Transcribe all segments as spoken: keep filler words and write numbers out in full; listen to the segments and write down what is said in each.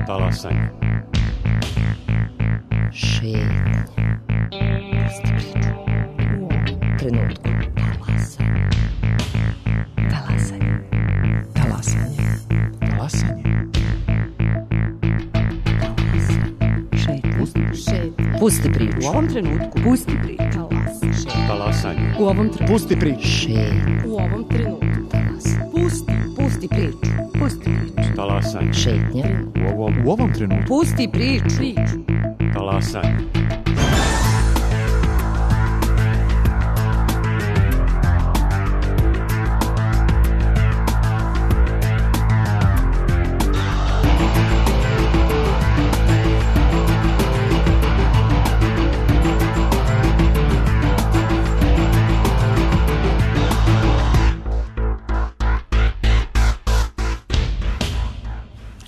Talasanje. Šetnja. Pusti priču. U ovom trenutku. Talasanje. Talasanje. Talasanje. Talasanje. Šetnja. Pusti Šetnja. Pusti priču. U ovom trenutku. Pusti priču. Talasanje. U ovom trenutku. Pusti priču. Šetnja. U ovom trenutku. Pusti. Pusti priču. Pusti priču. Talasanje. Šetnja. U ovom, U ovom trenutku. Pusti priču. Priču. talasanje.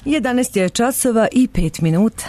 jedanaest je časova i pet minuta.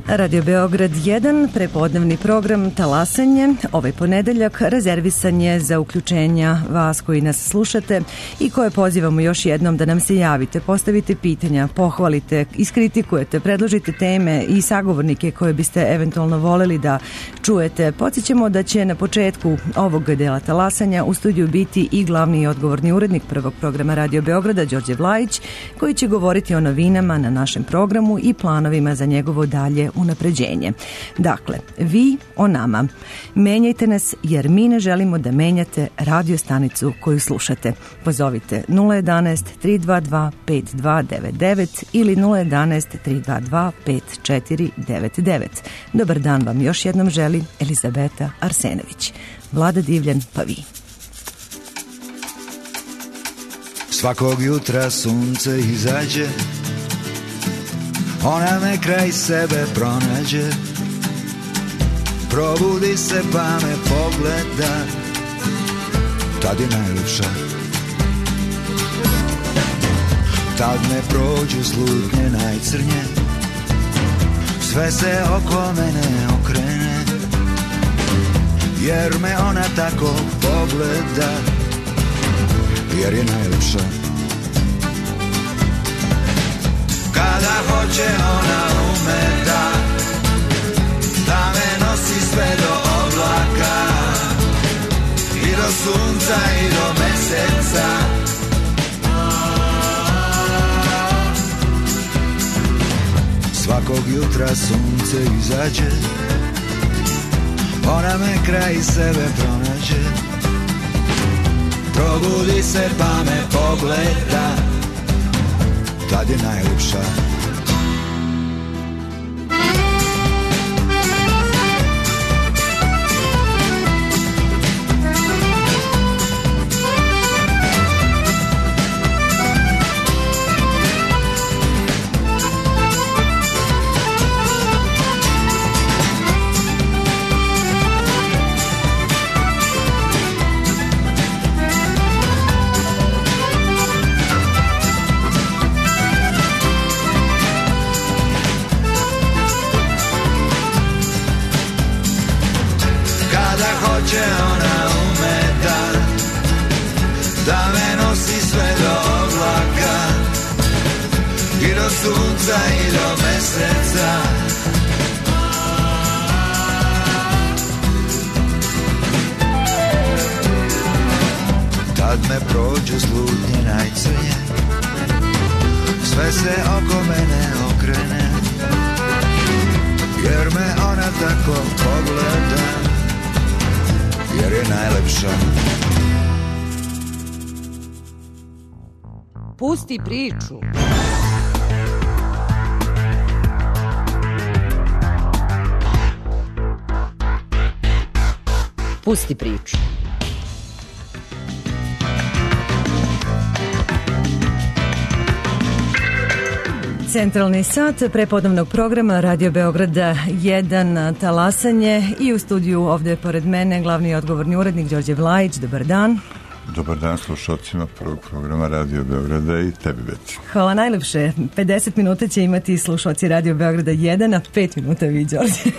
Radio Beograd jedan, prepodnevni program Talasanje. Ovaj ponedeljak rezervisan je za uključenja vas koji nas slušate i koje pozivamo još jednom da nam se javite, postavite pitanja, pohvalite, iskritikujete, predložite teme i sagovornike koje biste eventualno voleli da čujete. Podsjećamo da će na početku ovog dela Talasanja u studiju biti i glavni i odgovorni urednik prvog programa Radio Beograda, Đorđe Vlajić, koji će govoriti o novinama na našem programu i planovima za njegovo dalje unapređenje. Dakle, vi o nama. Menjajte nas jer mi ne želimo da menjate radio stanicu koju slušate. Pozovite nula jedanaest, tri dva dva, pet dva devet devet ili nula jedanaest, tri dva dva, pet četiri devet devet. Dobar dan vam još jednom želi Elizabeta Arsenović. Vlada Divljan, pa vi. Svakog jutra sunce izađe, ona me kraj sebe pronađe, probudi se pa me pogleda, tad je najljepša. Tad me prođu slutnje najcrnje, sve se oko mene okrene, jer me ona tako pogleda, jer je najljepša. Kada hoće ona ume da, da me nosi sve do oblaka, i do sunca i do meseca. Svakog jutra sunce izađe, ona me kraj sebe pronađe, probudi se pa me pogleda, tad je najljepša. Hoće ona ume da, da me nosi sve do oblaka, i do sunca i do meseca. Tad me prođu slutnje najcrnje, sve se oko mene okrene, jer me ona tako pogleda, jer je najlepša. Pusti priču. Pusti priču. Centralni sat prepodnevnog programa Radio Beograda jedan, Talasanje, i u studiju ovde pored mene glavni i odgovorni urednik Đorđe Vlajić. Dobar dan. Dobar dan slušalcima prvog programa Radio Beograda i tebi, Beti. Hvala najlepše. pedeset minuta će imati slušalci Radio Beograda jedan, a pet minuta vi, Đorđe.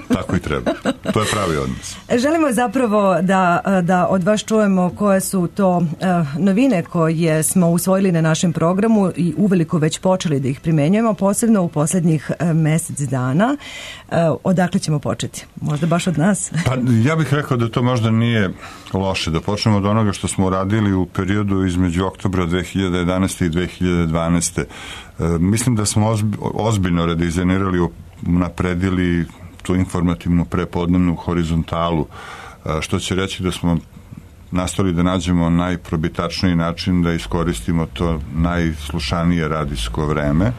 Tako i treba. To je pravi odnos. Želimo zapravo da, da od vas čujemo koje su to uh, novine koje smo usvojili na našem programu i uveliko već počeli da ih primenjujemo, posebno u poslednjih uh, mesec dana. Uh, odakle ćemo početi? Možda baš od nas? Pa ja bih rekao da to možda nije loše. Da počnemo od onoga što smo uradili u periodu između oktobra dve hiljade jedanaeste i dve hiljade dvanaeste. E, mislim da smo ozbi, ozbiljno redizajnirali, napredili tu informativnu prepodnevnu horizontalu, e, što će reći da smo nastali da nađemo najprobitačniji način da iskoristimo to najslušanije radijsko vreme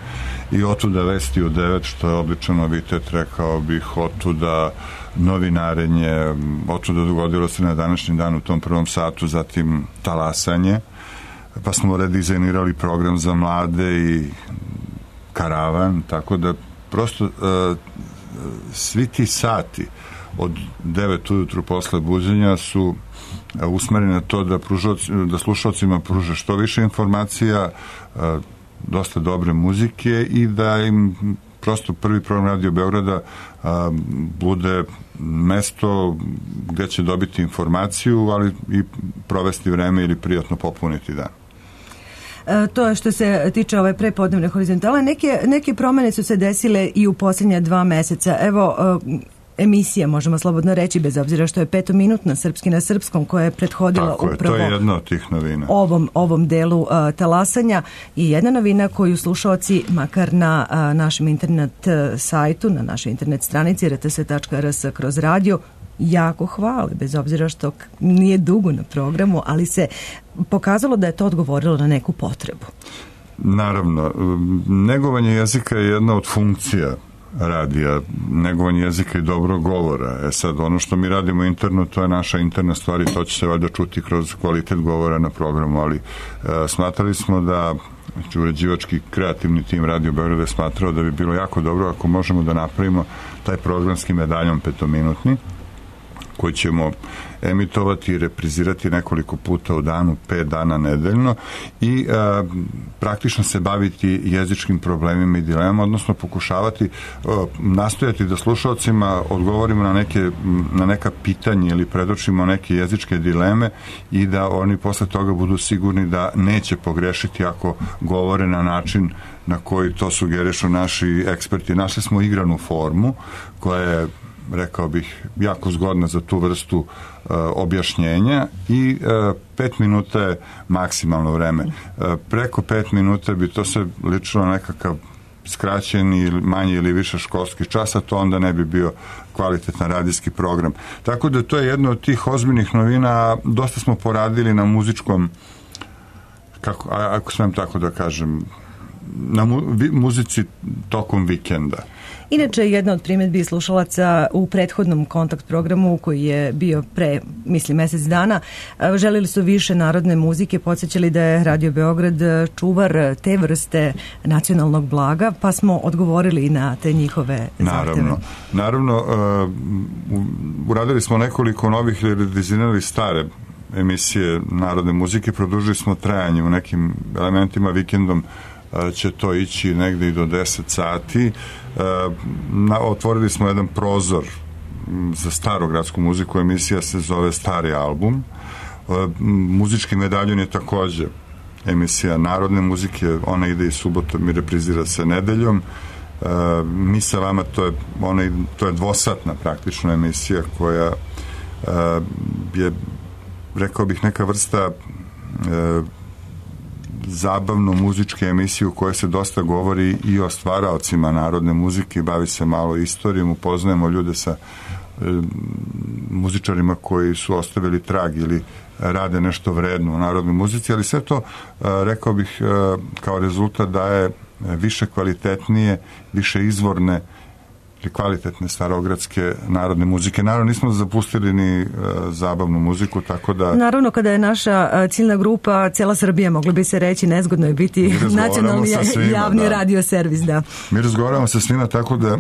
i otuda vesti u devet, što je običan novitet, rekao bih, otuda novinarenje, otuda dogodilo se na današnji dan u tom prvom satu, zatim talasanje, pa smo redizajnirali program za mlade i karavan, tako da prosto uh, svi ti sati od devet ujutru posle buđenja su usmereni na to da, pružoci, da slušalcima pruže što više informacija, dosta dobre muzike i da im prosto prvi program Radio Beograda bude mesto gde će dobiti informaciju, ali i provesti vreme ili prijatno popuniti dan. To je što se tiče ove prepodnevne horizontale. Neke, neke promene su se desile i u posljednja dva meseca. Evo, emisija, možemo slobodno reći, bez obzira što je petominutna Srpski na srpskom, koja je prethodila Tako je, upravo to je jedna od tih novina. Ovom, ovom delu uh, talasanja i jedna novina koju slušalci, makar na uh, našem internet uh, sajtu, na našoj internet stranici r t s tačka r s kroz radio, jako hvale, bez obzira što nije dugo na programu, ali se pokazalo da je to odgovorilo na neku potrebu. Naravno, negovanje jezika je jedna od funkcija radija, negovanje jezika i dobrog govora. E sad, ono što mi radimo interno, to je naša interna stvar i to će se valjda čuti kroz kvalitet govora na programu, ali e, smatrali smo da, znači, uređivački kreativni tim Radio Beograda je smatrao da bi bilo jako dobro ako možemo da napravimo taj programski medaljon petominutni, koji ćemo emitovati i reprizirati nekoliko puta u danu, pet dana nedeljno i a, praktično se baviti jezičkim problemima i dilemama, odnosno pokušavati, a, nastojati da slušalcima odgovorimo na, neke, na neka pitanja ili predočimo neke jezičke dileme i da oni posle toga budu sigurni da neće pogrešiti ako govore na način na koji to sugerišu naši eksperti. Našli smo igranu formu koja je, rekao bih, jako zgodna za tu vrstu uh, objašnjenja i uh, pet minuta je maksimalno vreme. Uh, preko pet minuta bi to se ličilo nekakav skraćeni ili manji ili više školski čas, a to onda ne bi bio kvalitetan radijski program. Tako da to je jedno od tih ozbiljnih novina. Dosta smo poradili na muzičkom, kako, ako smem tako da kažem, na mu, vi, muzici tokom vikenda. Inače, jedna od primjedbi slušalaca u prethodnom kontakt programu koji je bio pre, mislim, mesec dana, želili su više narodne muzike, podsjećali da je Radio Beograd čuvar te vrste nacionalnog blaga, pa smo odgovorili na te njihove zahteve. Naravno. Naravno, uh, uradili smo nekoliko novih ili redizajnirali stare emisije narodne muzike, produžili smo trajanje u nekim elementima, vikendom će to ići negde i do deset sati. Na, otvorili smo jedan prozor za starogradsku muziku, emisija se zove Stari album. Muzički medaljon je takođe emisija narodne muzike, ona ide i subotom i reprizira se nedeljom. Mi sa vama, to je, ona, to je dvosatna praktično emisija koja je, rekao bih, neka vrsta zabavno muzičke emisije u kojoj se dosta govori i o stvaraocima narodne muzike, bavi se malo istorijom, upoznajemo ljude sa e, muzičarima koji su ostavili trag ili rade nešto vredno u narodnoj muzici, ali sve to, e, rekao bih, e, kao rezultat daje više kvalitetnije, više izvorne i kvalitetne starogradske narodne muzike. Naravno, nismo zapustili ni uh, zabavnu muziku, tako da... Naravno, kada je naša uh, ciljna grupa, cijela Srbija, moglo bi se reći, nezgodno je biti nacionalni svima, javni da. radio servis, da. Mi razgovaramo sa svima, tako da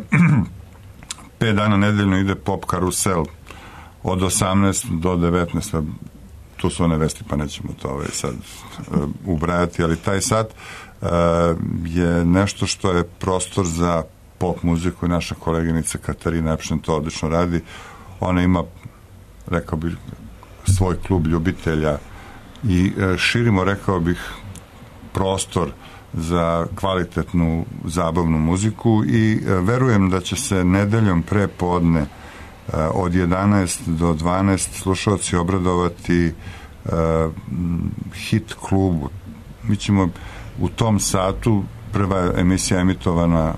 pet dana nedeljno ide pop karusel od osamnaest do devetnaest. tu su one vesti, pa nećemo to ovaj sad uh, ubrajati, ali taj sat uh, je nešto što je prostor za pop muziku i naša koleginica Katarina Epšen to odlično radi. Ona ima, rekao bih, svoj klub ljubitelja i uh, širimo, rekao bih, prostor za kvalitetnu zabavnu muziku i uh, verujem da će se nedeljom pre podne uh, od jedanaest do dvanaest slušalci obradovati uh, hit klubu. Mi ćemo u tom satu, prva emisija emitovana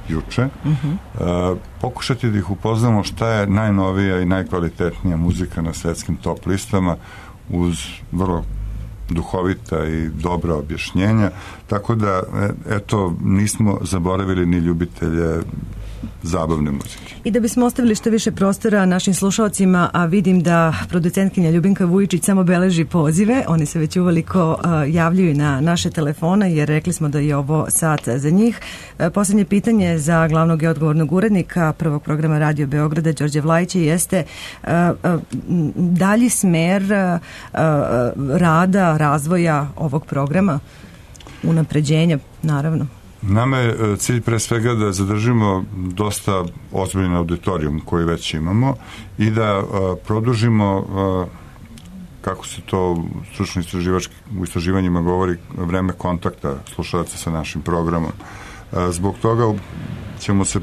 juče, uh-huh. uh, pokušati da ih upoznamo šta je najnovija i najkvalitetnija muzika na svetskim top listama uz vrlo duhovita i dobra objašnjenja, tako da eto, nismo zaboravili ni ljubitelje zabavne muzike. I da bismo ostavili što više prostora našim slušalcima, a vidim da producentkinja Ljubinka Vujičić samo beleži pozive, oni se već uveliko uh, javljaju na naše telefone, jer rekli smo da je ovo sat za njih. Uh, poslednje pitanje za glavnog i odgovornog urednika prvog programa Radio Beograda, Đorđe Vlajića, jeste uh, uh, dalji smer uh, uh, rada, razvoja ovog programa, unapređenja, naravno. Nama je cilj pre svega da zadržimo dosta ozbiljan auditorijum koji već imamo i da uh, produžimo, uh, kako se to stručno u istraživanjima govori, vreme kontakta slušalaca sa našim programom. Uh, zbog toga ćemo se,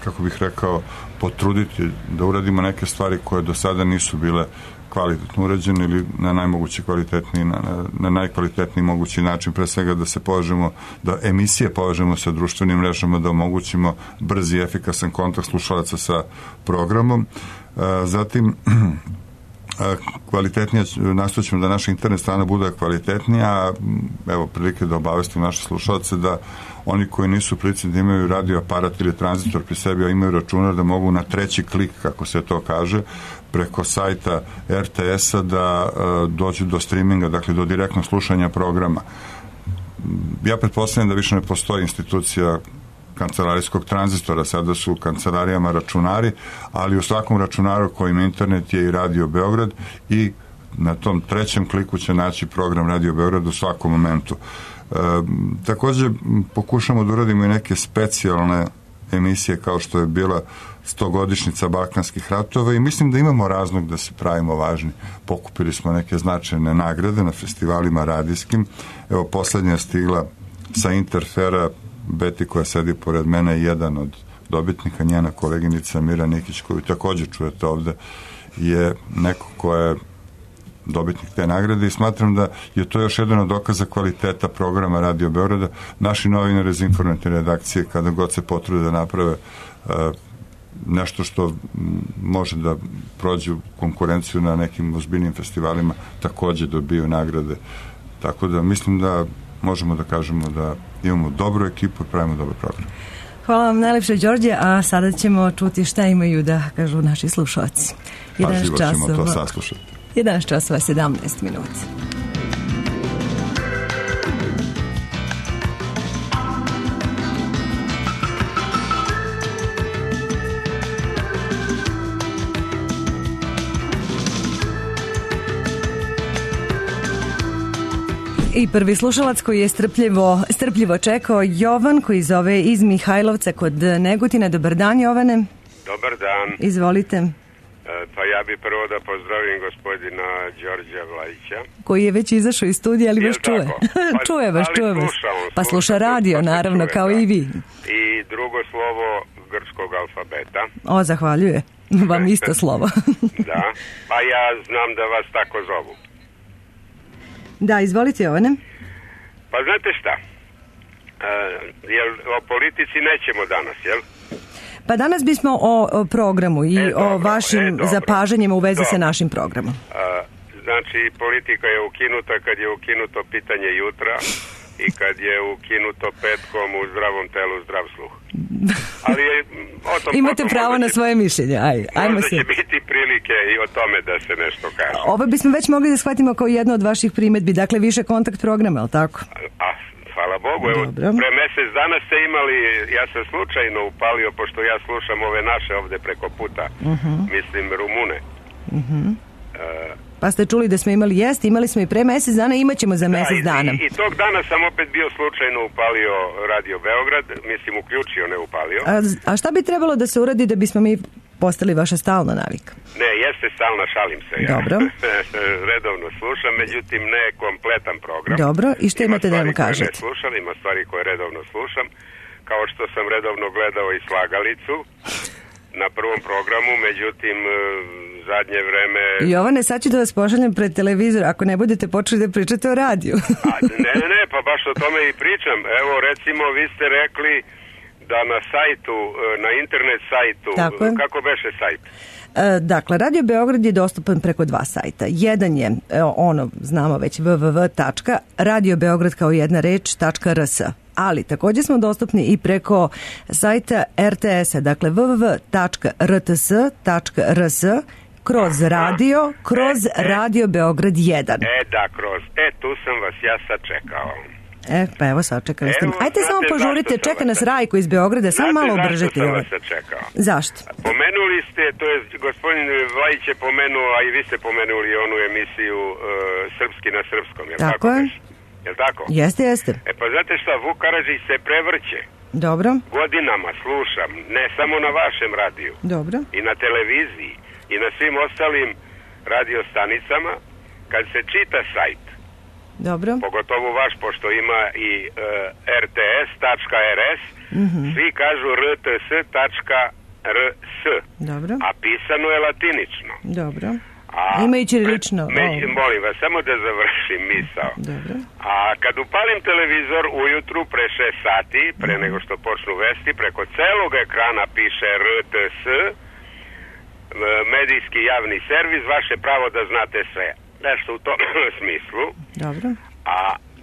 kako bih rekao, potruditi da uradimo neke stvari koje do sada nisu bile kvalitetno urađene ili na najmogući kvalitetniji, na, na najkvalitetniji mogući način, pre svega da se povežemo, da emisije povežemo sa društvenim mrežama, da omogućimo brzi i efikasan kontakt slušalaca sa programom. Zatim, kvalitetnija, nastojećemo da naša internet strana bude kvalitetnija, evo prilike da obavestim naše slušalce da oni koji nisu prilici da imaju radio aparat ili tranzitor pri sebi, a imaju računar, da mogu na treći klik, kako se to kaže, preko sajta er te es-a da uh, dođu do streaminga, dakle do direktnog slušanja programa. Ja pretpostavljam da više ne postoji institucija kancelarijskog tranzistora, sada su u kancelarijama računari, ali u svakom računaru koji ima internet je i Radio Beograd i na tom trećem kliku će naći program Radio Beograd u svakom momentu. E, takođe pokušamo da uradimo i neke specijalne emisije kao što je bila stogodišnjica Balkanskih ratova i mislim da imamo razlog da se pravimo važni. Pokupili smo neke značajne nagrade na festivalima radijskim. Evo, poslednja je stigla sa Interfera, Beti koja sedi pored mene je jedan od dobitnika, njena koleginica Mira Nikić, koju takođe čujete ovde, je neko ko je dobitnik te nagrade i smatram da je to još jedan od dokaza kvaliteta programa Radio Beograda. Naši novinari iz informativne redakcije, kada god se potrude da naprave uh, nešto što može da prođe u konkurenciju na nekim ozbiljnim festivalima, takođe dobiju nagrade. Tako da mislim da možemo da kažemo da imamo dobru ekipu i pravimo dobar program. Hvala vam najlepše, Đorđe, a sada ćemo čuti šta imaju da kažu naši slušalci. Pažljivo ćemo to saslušati. jedanaest časova sedamnaest minuta. I prvi slušalac koji je strpljivo, strpljivo čekao, Jovan, koji zove iz Mihajlovca kod Negotina. Dobar dan, Jovane. Dobar dan. Izvolite. E, pa ja bi prvo da pozdravim gospodina Đorđa Vlajića. Koji je već izašao iz studija, ali vas čuje. Pa, čuje vas, čuje vas. Pa sluša radio, naravno, kao i vi. I drugo slovo grčkog alfabeta. O, zahvaljuje. Vam isto slovo. Da, pa ja znam da vas tako zovu. Da, izvolite, Jovane. Pa znate šta, e, jel, o politici nećemo danas, jel? Pa danas bismo o, o programu i e, dobro, o vašim e, zapažanjima u vezi dobro. sa našim programom. A, znači, politika je ukinuta kad je ukinuto pitanje jutra i kad je ukinuto petkom u zdravom telu zdrav sluh. Ali je, o tom imate pravo na svoje mišljenje. Aj, ajmo možda se. će biti prilike i o tome da se nešto kaže. Ovo bismo već mogli da shvatimo kao jedno od vaših primetbi, dakle više kontakt programa, je li tako? A, hvala Bogu, evo, Dobro. pre mesec dana ste imali, ja sam slučajno upalio, pošto ja slušam ove naše ovde preko puta, uh-huh. mislim Rumune. Uh-huh. E, Pa ste čuli da smo imali jest, imali smo i pre mesec dana, imat ćemo za mesec da, dana. I, I tog dana sam opet bio slučajno upalio Radio Beograd, mislim uključio, ne upalio. A, a šta bi trebalo da se uradi da bismo mi postali vaša stalna navika? Ne, jeste stalna, šalim se. Ja. Dobro. Redovno slušam, međutim ne kompletan program. Dobro, i što imate da vam kažete? Ne slušam, ima stvari koje redovno slušam, kao što sam redovno gledao i Slagalicu na prvom programu, međutim zadnje vreme... Jovane, sad ću da vas pošaljem pred televizor ako ne budete počeli da pričate o radiju. A, ne, ne, ne, pa baš o tome i pričam. Evo, recimo, vi ste rekli da na sajtu, na internet sajtu, kako beše sajt? Dakle, Radio Beograd je dostupan preko dva sajta. Jedan je, ono, znamo već, w w w tačka radio beograd kao jedna reč tačka r s. Ali također smo dostupni i preko sajta er te es-a, dakle w w w tačka r t s tačka r s kroz radio, kroz e, Radio Beograd jedan. E, da, kroz. E, tu sam vas ja sad čekao. E, pa evo sad čekali ste. Ajde samo požurite, čeka nas Rajko iz Beograda, samo malo obržite. Znate zašto sam vas čekao? Zašto? Pomenuli ste, to je gospodin Vlajić je pomenuo, a i vi ste pomenuli onu emisiju uh, Srpski na srpskom, je tako? Tako je. Je li tako? Jeste, jeste. E pa znate šta, Vuk Karadžić se prevrće. Dobro. Godinama slušam, ne samo na vašem radiju. Dobro. I na televiziji, i na svim ostalim radiostanicama, kad se čita sajt. Dobro. Pogotovo vaš, pošto ima i uh, er te es tačka er es, mm-hmm. svi kažu er te es tačka er es. Dobro. A pisano je latinično. Dobro. A, ima i ćirilično. Me, molim vas, samo da završim misao. Dobro. A kad upalim televizor ujutru pre šest sati, pre nego što počnu vesti, preko celog ekrana piše er te es, medijski javni servis, vaše pravo da znate sve. Nešto u tom smislu. Dobro. A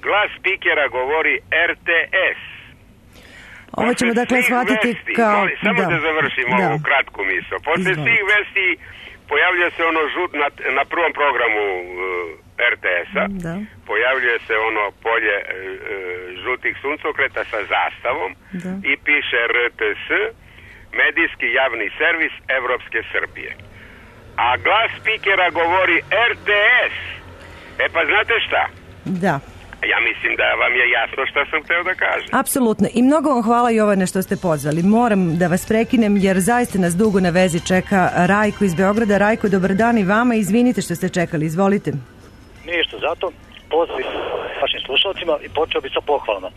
glas spikera govori er te es. Ovo ćemo dakle shvatiti kao... Molim, samo da, da završim da. ovu kratku misao. Posle Izvolite. svih vesti pojavljuje se ono žut na, na prvom programu uh, er te es-a. Da. Pojavljuje se ono polje uh, žutih suncokreta sa zastavom da. i piše er te es, medijski javni servis Evropske Srbije. A glas spikera govori er te es. E pa znate šta? Da. Ja mislim da vam je jasno šta sam hteo da kažem. Apsolutno. I mnogo vam hvala, Jovane, što ste pozvali. Moram da vas prekinem jer zaista nas dugo na vezi čeka Rajko iz Beograda. Rajko, dobar dan i vama. Izvinite što ste čekali. Izvolite. Ništa, zato pozdrav vašim slušalcima i počeo bi sa pohvalama.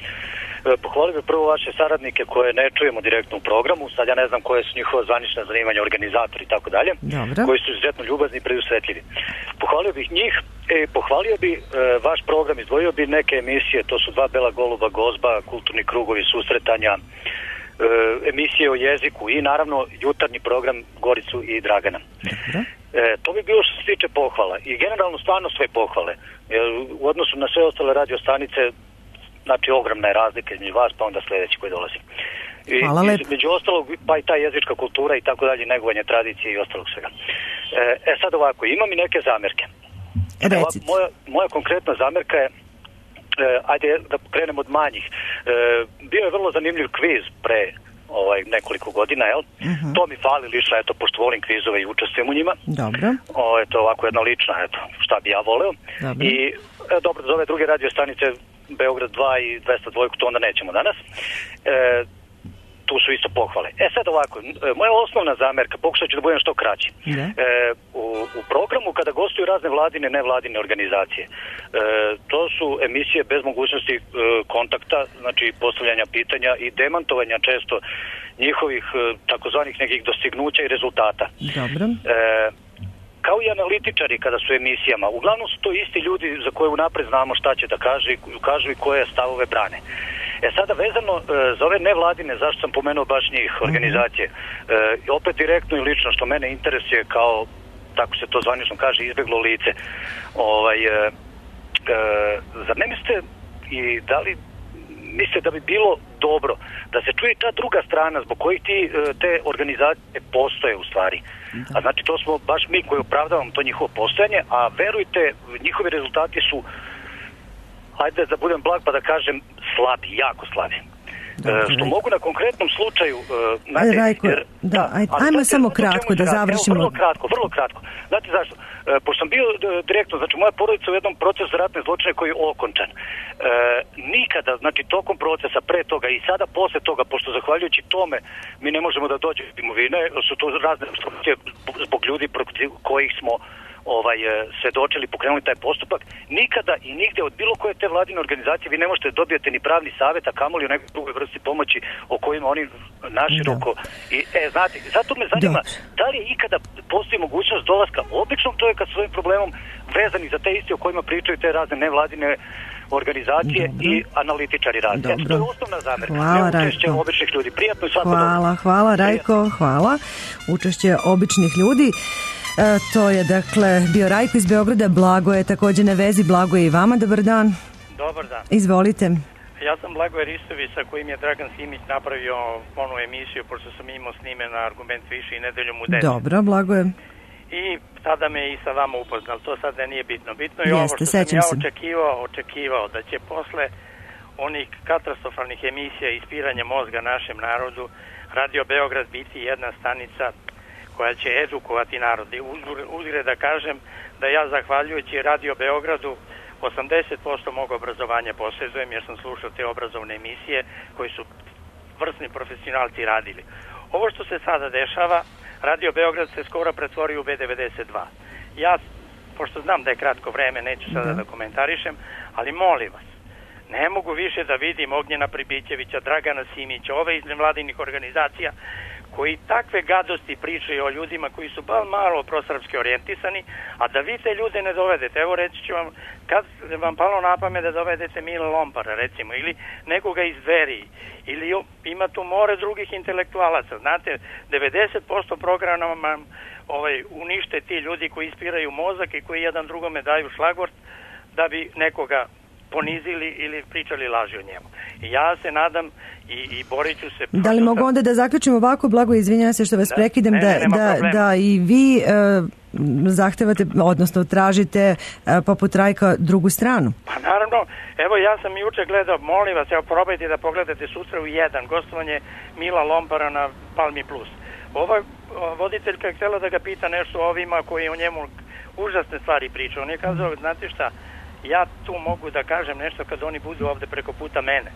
Pohvalio bih prvo vaše saradnike koje ne čujemo direktno u programu, sad ja ne znam koje su njihova zvanična zanimanja, organizatori i tako dalje, koji su izuzetno ljubazni i predusretljivi. Pohvalio bih njih i pohvalio bi e, vaš program, izdvojio bi neke emisije, to su Dva bela goluba, Gozba, Kulturni krugovi susretanja, e, emisije o jeziku i naravno jutarnji program Goricu i Dragana. Dobro. E, to bi bilo što se tiče pohvala i generalno stvarno sve pohvale. E, u odnosu na sve ostale radiostanice, znači ogromna je razlika između vas pa onda sljedeći koji dolazi. I, i, među ostalog pa i ta jezička kultura i tako dalje, negovanje tradicije i ostalog svega. E, e sad ovako, imam i neke zamerke. Ovako, moja, moja konkretna zamerka je, e, ajde da krenemo od manjih. E, bio je vrlo zanimljiv kviz pre ovaj, nekoliko godina, jel? Uh-huh. To mi fali lično, eto, pošto volim kvizove i učestvujem u njima. Dobro. O, eto, ovako jedna lična, eto, šta bi ja voleo. Dobro. I, e, dobro, za ove druge radiostanice Beograd dva i dvesta dva, to onda nećemo danas. E, tu su isto pohvale. E sad ovako, moja osnovna zamerka, pokušat ću da budem što kraći. E, u, u programu kada gostuju razne vladine, nevladine organizacije, e, to su emisije bez mogućnosti e, kontakta, znači postavljanja pitanja i demantovanja često njihovih e, takozvanih nekih dostignuća i rezultata. Dobro. E, kao i analitičari kada su emisijama, uglavnom su to isti ljudi za koje unapred znamo šta će da kaže, kažu i koje stavove brane. E sada vezano e, za ove nevladine, zašto sam pomenuo baš njih, organizacije, e, opet direktno i lično što mene interesuje kao, tako se to zvanično kaže, izbjeglo lice, ovaj, e, e, zar ne mislite i da li mislite da bi bilo dobro da se čuje ta druga strana zbog kojih ti, te organizacije postoje u stvari. A znači to smo baš mi koji opravdavamo to njihovo postojanje, a verujte, njihovi rezultati su, hajde da budem blag pa da kažem, slabi, jako slabi. Dobro, što mogu na konkretnom slučaju... Znate, Rajko, jer, da, aj, ajmo znate, samo kratko da završimo. Evo, vrlo kratko, vrlo kratko. Znate zašto? E, pošto sam bio direktno, znači moja porodica u jednom procesu ratne zločine koji je okončan. E, nikada, znači tokom procesa, pre toga i sada posle toga, pošto zahvaljujući tome mi ne možemo da dođemo do imovine, su to razne obstrukcije zbog ljudi protiv kojih smo ovaj, svedočili, pokrenuli taj postupak, nikada i nigde od bilo koje te vladine organizacije vi ne možete dobijete ni pravni savjet, a kamoli u nekoj drugoj vrsti pomoći o kojima oni naširoko... I, e, znate, zato me zanima, da. da li je ikada postoji mogućnost dolaska običnog čovjeka svojim problemom vezani za te iste o kojima pričaju te razne nevladine organizacije dobro. I analitičari razne. Eto, to je osnovna zamerka. Hvala, ne učešće Rajko. Običnih ljudi. Prijatno i svako hvala, dobro. Hvala, Rajko, hvala. Učešće običnih ljudi. E, to je, dakle, bio Rajko iz Beograda. Blago je također na vezi. Blago je i vama. Dobar dan. Dobar dan. Izvolite. Ja sam Blagoje Ristović, sa kojim je Dragan Simić napravio onu emisiju, pošto sam imao snime na Argument više i Nedeljom u deset. Dobro, Blagoje. I tada me i sa vama upoznal. To sad ne nije bitno. Bitno je Jeste, ovo što sam ja se. očekivao, očekivao da će posle onih katastrofalnih emisija ispiranja mozga našem narodu Radio Beograd biti jedna stanica koja će edukovati narod. I uzgred da kažem da ja zahvaljujući Radio Beogradu osamdeset posto mog obrazovanja posjedujem jer sam slušao te obrazovne emisije koji su vrsni profesionalci radili. Ovo što se sada dešava, Radio Beograd se skoro pretvorio u B devedeset dva. Ja, pošto znam da je kratko vreme, neću sada da, da komentarišem, ali molim vas, ne mogu više da vidim Ognjena Pribićevića, Dragana Simića, ove iz nevladinih organizacija, koji takve gadosti pričaju o ljudima koji su bar malo prosrpski orijentisani, a da vi te ljude ne dovedete. Evo reći ću vam, kad vam palo na pamet da dovedete Mila Lompara, recimo, ili nekoga iz Dveri, ili ima tu more drugih intelektualaca. Znate, devedeset posto programa ovaj, unište ti ljudi koji ispiraju mozak i koji jedan drugome daju šlagvort da bi nekoga ponizili ili pričali laži o njemu. I ja se nadam i, i borit ću se... Da li mogu sad... onda da zaključim ovako, Blago, izvinjam se što vas da, prekidem, ne, da, ne, da, da i vi e, zahtevate, odnosno tražite e, poput Rajka drugu stranu? Pa naravno, evo ja sam juče gledao, molim vas, evo probajte da pogledate sutra u jedan, gostovanje Mila Lompara na Palmi Plus. Ova voditeljka je htjela da ga pita nešto o ovima koji o njemu užasne stvari pričaju. On je kazao, znate šta, ja tu mogu da kažem nešto kad oni budu ovde preko puta mene.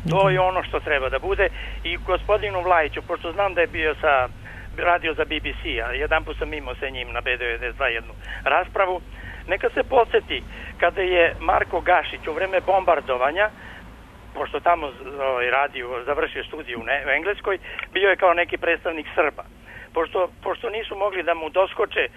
To je ono što treba da bude. I gospodinu Vlajiću, pošto znam da je bio sa radio za B B C, a jedan put sam imao sa njim na B devedeset dva jednu raspravu, neka se podsjeti kada je Marko Gašić u vreme bombardovanja, pošto tamo ovaj, radio, završio studiju u, ne, u Engleskoj, bio je kao neki predstavnik Srba. Pošto, pošto nisu mogli da mu doskoče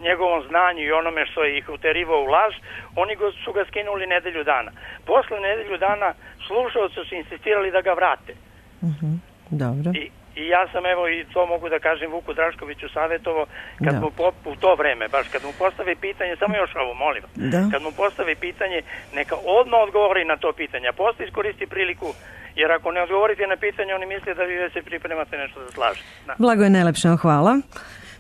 njegovom znanju i onome što je ih uterivao u laž, oni go, su ga skinuli nedelju dana. Posle nedelju dana slušalci su insistirali da ga vrate. Uh-huh. Dobro. I, I ja sam, evo, i to mogu da kažem Vuku Draškoviću savjetovo, kad da. mu po, u to vreme, baš kad mu postave pitanje, samo još ovo, molim, da. kad mu postave pitanje, neka odmah odgovori na to pitanje, a posle iskoristi priliku, jer ako ne odgovorite na pitanje, oni misle da vi se pripremate nešto da slažete. Da. Blagoje, najlepše vam hvala.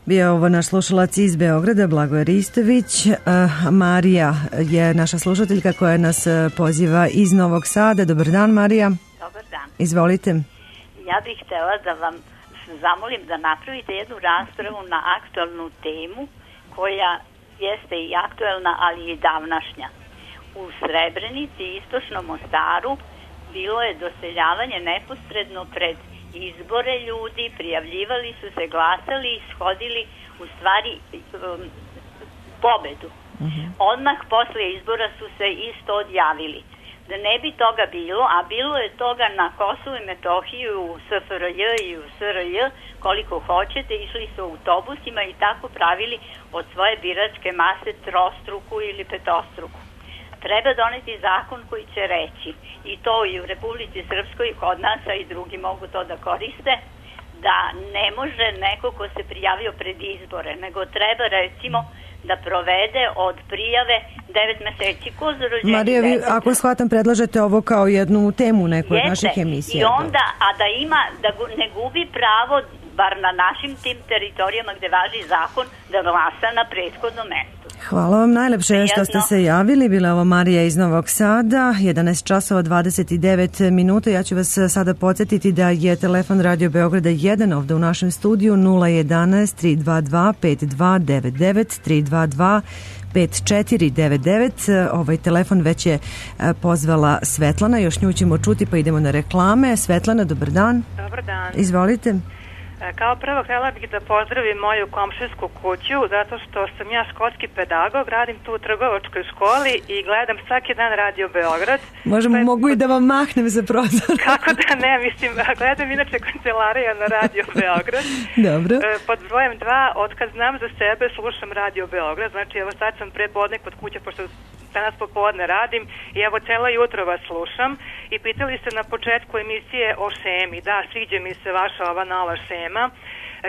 Bio je ovo naš slušalac iz Beograda, Blagoje Ristović. Uh, Marija je naša slušateljka koja nas poziva iz Novog Sada. Dobar dan, Marija. Dobar dan. Izvolite. Ja bih htjela da vam zamolim da napravite jednu raspravu na aktualnu temu koja jeste i aktualna, ali i davnašnja. U Srebrenici i Istočnom Mostaru bilo je doseljavanje neposredno pred izbore ljudi, prijavljivali su se, glasali i shodili u stvari um, pobedu. Uh-huh. Odmah posle izbora su se isto odjavili. Da ne bi toga bilo, a bilo je toga na Kosovu i Metohiju, u S F R J i u S R J, koliko hoćete, išli su autobusima i tako pravili od svoje biračke mase trostruku ili petostruku. Treba doneti zakon koji će reći, i to i u Republici Srpskoj, kod nas, a i drugi mogu to da koriste, da ne može neko ko se prijavio pred izbore, nego treba recimo da provede od prijave devet meseci. Ko za rođenje? Marija, vi, ako shvatam, predlažete ovo kao jednu temu neku od naših emisija. I onda, a da ima, da ne gubi pravo, bar na našim tim teritorijama gde važi zakon, da glasa na prethodnom mestu. Hvala vam najlepše što ste se javili. Bila je ovo Marija iz Novog Sada, jedanaest časova dvadeset devet minuta. Ja ću vas sada podsjetiti da je telefon Radio Beograda jedan ovde u našem studiju nula jedanaest tri dva dva pet dva devet devet tri dva dva pet četiri devet devet. Ovaj telefon već je pozvala Svetlana, još nju ćemo čuti pa idemo na reklame. Svetlana, dobar dan. Dobar dan. Izvolite. Kao prvo htjela bih da pozdravim moju komšinsku kuću zato što sam ja školski pedagog, radim tu u trgovačkoj školi i gledam svaki dan Radio Beograd. Možemo, pa, mogu i da vam mahnem za prozor. Kako da ne, mislim, gledam inače kancelarija na Radio Beograd. Dobro. Pod brojem dva, otkad znam za sebe, slušam Radio Beograd, znači evo sad sam prepodne kod kuće, pošto danas popodne radim i evo celo jutro vas slušam i pitali ste na početku emisije o šemi. Da, sviđa mi se vaša ova nova šema.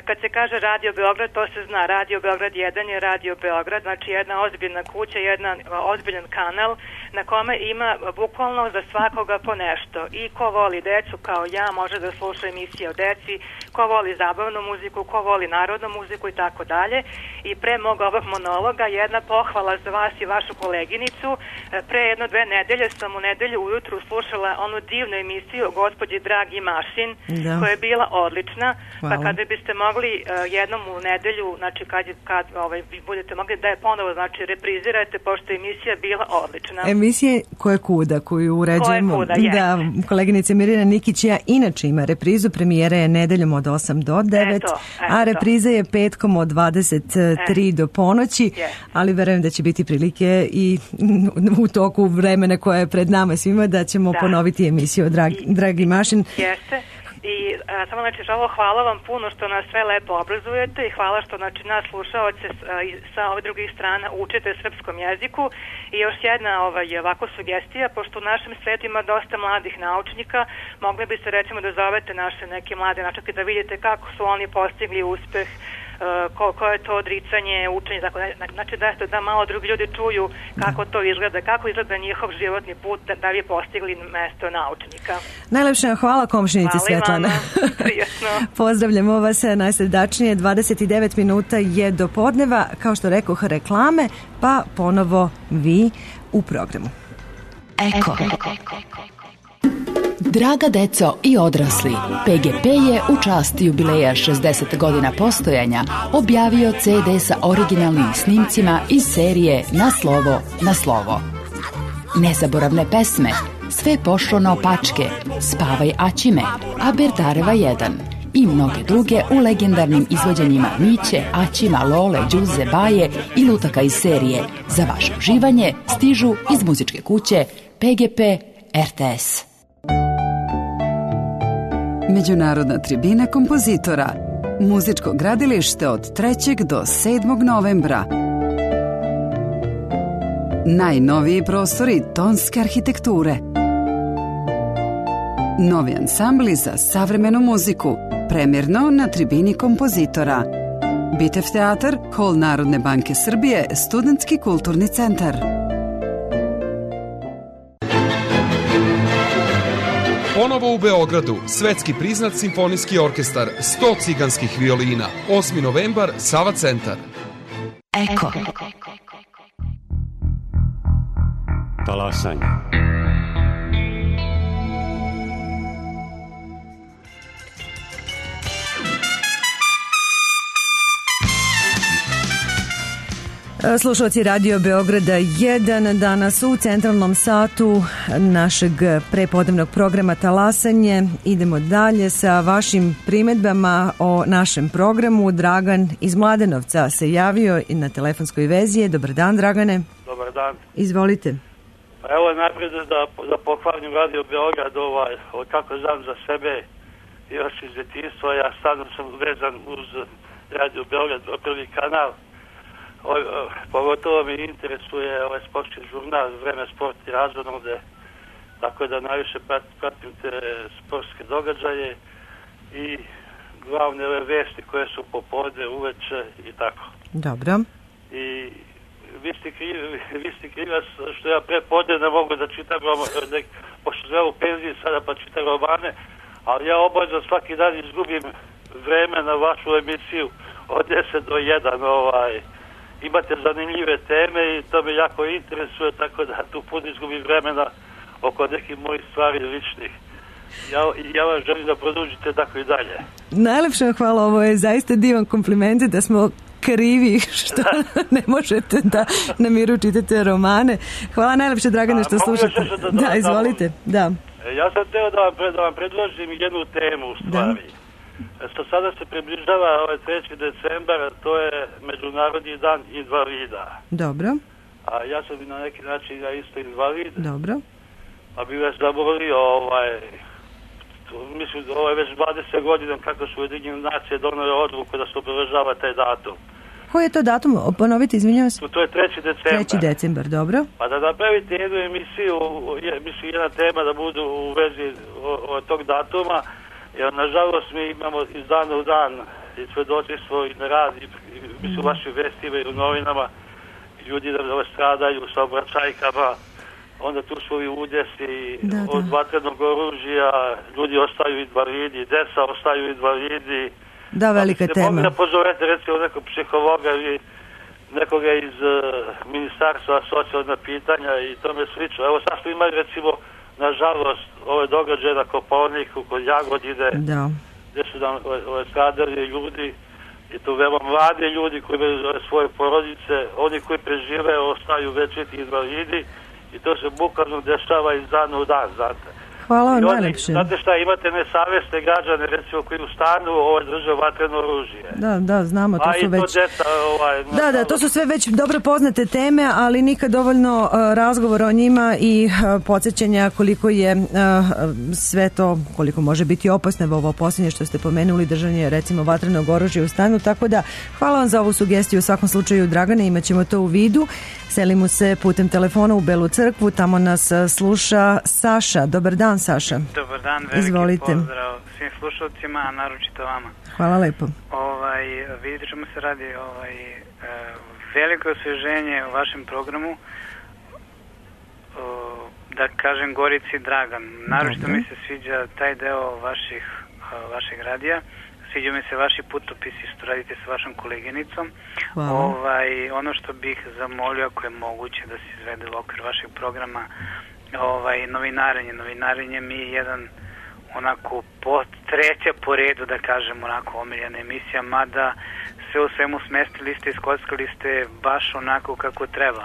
Kad se kaže Radio Beograd, to se zna. Radio Beograd jedan je Radio Beograd, znači jedna ozbiljna kuća, jedan ozbiljan kanal na kome ima bukvalno za svakoga po nešto. I ko voli decu kao ja može da sluša emisije o deci, ko voli zabavnu muziku, ko voli narodnu muziku i tako dalje. I pre mog ovog monologa jedna pohvala za vas i vašu koleginicu. Pre jedno dve nedelje sam u nedelju ujutru slušala onu divnu emisiju o gospođi Dragi Mašin, da, koja je bila odlična. Hvala. Pa kada biste mogli uh, jednom u nedelju, znači kad, kad ovaj, budete mogli da je ponovo znači, reprizirate, pošto je emisija bila odlična. Emisije Koje kuda, koju uređujemo. Koje kuda, da, koleginica Mirjana Nikić ja inače ima reprizu, premijera je nedeljom od osam do devet, eto, eto. A repriza je petkom od dvadeset tri e. do ponoći, yes. Ali verujem da će biti prilike i u toku vremena koje je pred nama svima da ćemo da. ponoviti emisiju o Dragi, Dragi Mašin. Jeste. I a, samo znači ovo hvala vam puno što nas sve lepo obrazujete i hvala što znači nas slušaoce sa ove drugih strana učite srpskom jeziku. I još jedna ovaj, ovako sugestija, pošto u našem svetu ima dosta mladih naučnika, mogli biste recimo da zovete naše neke mlade naučnike da vidite kako su oni postigli uspeh, ko, ko je to odricanje, učenje, tako, znači da, da malo drugi ljudi čuju kako to izgleda, kako izgleda njihov životni put da, da bi postigli mesto naučnika. Najlepša hvala komšinici Svetlana. Pozdravljamo vas najsredačnije, dvadeset devet minuta je do podneva, kao što rekoh reklame, pa ponovo vi u programu. Eko. Draga deco i odrasli, P G P je u čast jubileja šezdeset godina postojanja objavio ce de sa originalnim snimcima iz serije Na slovo, na slovo. Nezaboravne pesme, Sve pošlo naopačke, Spavaj Aćime, Aberdareva jedan i mnoge druge u legendarnim izvođenjima Miće, Aćima, Lole, Đuze, Baje i lutaka iz serije. Za vaše uživanje stižu iz muzičke kuće P G P R T S. Međunarodna tribina kompozitora. Muzičko gradilište od trećeg do sedmog novembra. Najnoviji prostori tonske arhitekture. Novi ansambli za savremenu muziku. Premjerno na tribini kompozitora. Bitev teatar, Hol Narodne banke Srbije, Studentski kulturni centar. Ponovo u Beogradu, svetski priznat simfonijski orkestar, sto ciganskih violina, osmi novembar, Sava centar. Eko. Talasanje. Slušalci Radio Beograda jedan, danas u centralnom satu našeg prepodnevnog programa Talasanje. Idemo dalje sa vašim primedbama o našem programu. Dragan iz Mladenovca se javio i na telefonskoj vezi. Dobar dan, Dragane. Dobar dan. Izvolite. Pa evo najprije da, da pohvalim Radio Beograd, ovaj, kako znam za sebe još iz djetinjstva. Ja stvarno sam vezan uz Radio Beograd, prvi kanal. O, o, pogotovo mi interesuje ovaj sportski žurnal Vreme, sport i razonode, tako da najviše pratim te sportske događaje i glavne ove vesti koje su popodne, uveče i tako. Dobro. I vi ste krivi, vi ste krivi što ja prepodne ne mogu da čitam nek, pošto sve u penziji sada pa čitam romane, ali ja obavezno svaki dan izgubim vreme na vašu emisiju od deset do jedan ovaj. imate zanimljive teme i to me jako interesuje, tako da tu puno izgubim vremena oko nekih mojih stvari ličnih. Ja, ja vam želim da produžite tako i dalje. Najlepše vam hvala, ovo je zaista divan kompliment da smo krivi što ne možete da na miru čitate romane. Hvala najlepše, Dragane, što slušate. Da, da, izvolite. Da. Ja sam teo da vam, pred, da vam predložim jednu temu u stvari. Da. Što sada se približava ovaj treći decembar, to je Međunarodni dan invalida. Dobro. A ja sam na neki način ja isto invalid. Dobro. A bi vas zamolio, ovaj, mislim, ovo je već dvadeset godina kako su Ujedinjene nacije donele odluku da se obeležava taj datum. Koji je to datum? Ponovite, izvinjavam se. To je treći decembar. treći decembar, dobro. Pa da napravite jednu emisiju, mislim, jedna tema da budu u vezi od tog datuma, jer nažalost mi imamo iz dana u dan i svedočstvo i na rad, i, i mislim, u vašim vestima i u novinama, ljudi da stradaju sa obraćajkama, onda tu su i udesi da, od da. vatrenog oružja, ljudi ostaju invalidi, deca ostaju invalidi. Da, velika tema. Mogu da pozovete recimo nekog psihologa ili nekoga iz uh, ministarstva socijalna pitanja i tome slično. Evo sad smo imali recimo, nažalost, ove događaje na Kopaoniku, kod Jagodine, da. gdje su nam ove stradali ljudi i to veoma mladi ljudi koji imaju svoje porodice, oni koji prežive ostaju večiti invalidi i to se bukvalno dešava iz dana u dan, znate. Hvala vam najlepše. Znate šta, imate nesavjesne građane, recimo, koji u stanu ovaj, drže vatreno oružje. Da, da, znamo, to A su i već... to djeca, ovaj, da, da, to su sve već dobro poznate teme, ali nikad dovoljno uh, razgovora o njima i uh, podsjećanja koliko je uh, sve to, koliko može biti opasno, ovo posljednje što ste pomenuli, držanje, recimo, vatrenog oružja u stanu, tako da hvala vam za ovu sugestiju, u svakom slučaju, Dragane, imat ćemo to u vidu. Selimo se putem telefona u Belu crkvu, tamo nas sluša Saša. Dobar dan, Saša. Dobar dan, veliki Izvolite. Pozdrav svim slušalcima, a naročito vama. Hvala lepo. Ovaj, vidite čemu se radi, ovaj, veliko osvježenje u vašem programu, da kažem Gorici Dragan. Naročito Dobre. mi se sviđa taj deo vaših, vašeg radija. Sviđa mi se vaši putopisi što radite sa vašom koleginicom. Ovaj, ono što bih zamolio, ako je moguće da se izvede u okviru vašeg programa, ovaj, novinarenje. Novinarenje mi je jedan onako po, treća po redu, da kažem, onako omiljena emisija, mada sve u svemu smestili ste, iskockali ste baš onako kako treba.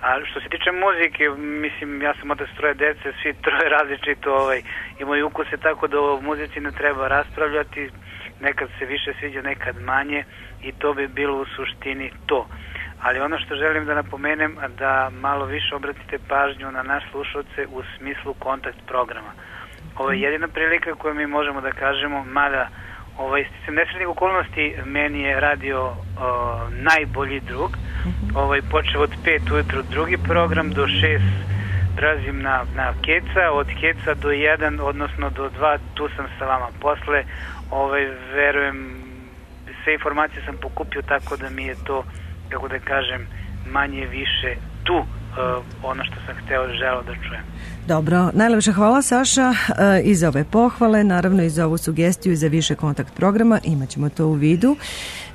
A što se tiče muzike, mislim, ja sam otac troje dece, svi troje različito ovaj, imaju ukuse, tako da o muzici ne treba raspravljati, nekad se više sviđa, nekad manje i to bi bilo u suštini to. Ali ono što želim da napomenem, da malo više obratite pažnju na naš slušalce u smislu kontakt programa. Ovo je jedina prilika koju mi možemo da kažemo, mada ovaj, sticam nesretnih okolnosti, meni je radio o, najbolji drug. Ovaj, počeo od pet ujutru drugi program, do šest prelazim na, na Keca, od Keca do jedan, odnosno do dva, tu sam sa vama. Posle, ovaj, verujem, sve informacije sam pokupio, tako da mi je to, kako da kažem, manje više tu uh, ono što sam hteo, želeo da čujem. Dobro, najlepša hvala, Saša, uh, i za ove pohvale, naravno i za ovu sugestiju i za više kontakt programa, imat ćemo to u vidu.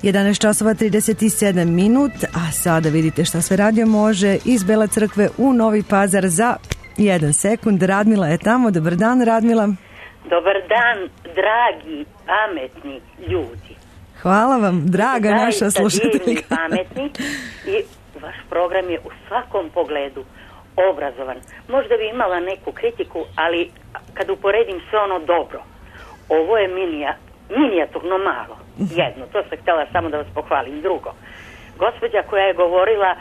jedanaest časova trideset sedam minut, a sada vidite šta sve radio može iz Bele crkve u Novi Pazar za jedan sekund. Radmila je tamo, dobar dan, Radmila. Dobar dan, dragi, pametni ljudi. Hvala vam, draga Zaista naša slušateljka. Divni, pametni i vaš program je u svakom pogledu obrazovan. Možda bi imala neku kritiku, ali kad uporedim sve ono dobro, ovo je minija, minijaturno malo. Jedno, to sam htjela samo da vas pohvalim. Drugo, gospođa koja je govorila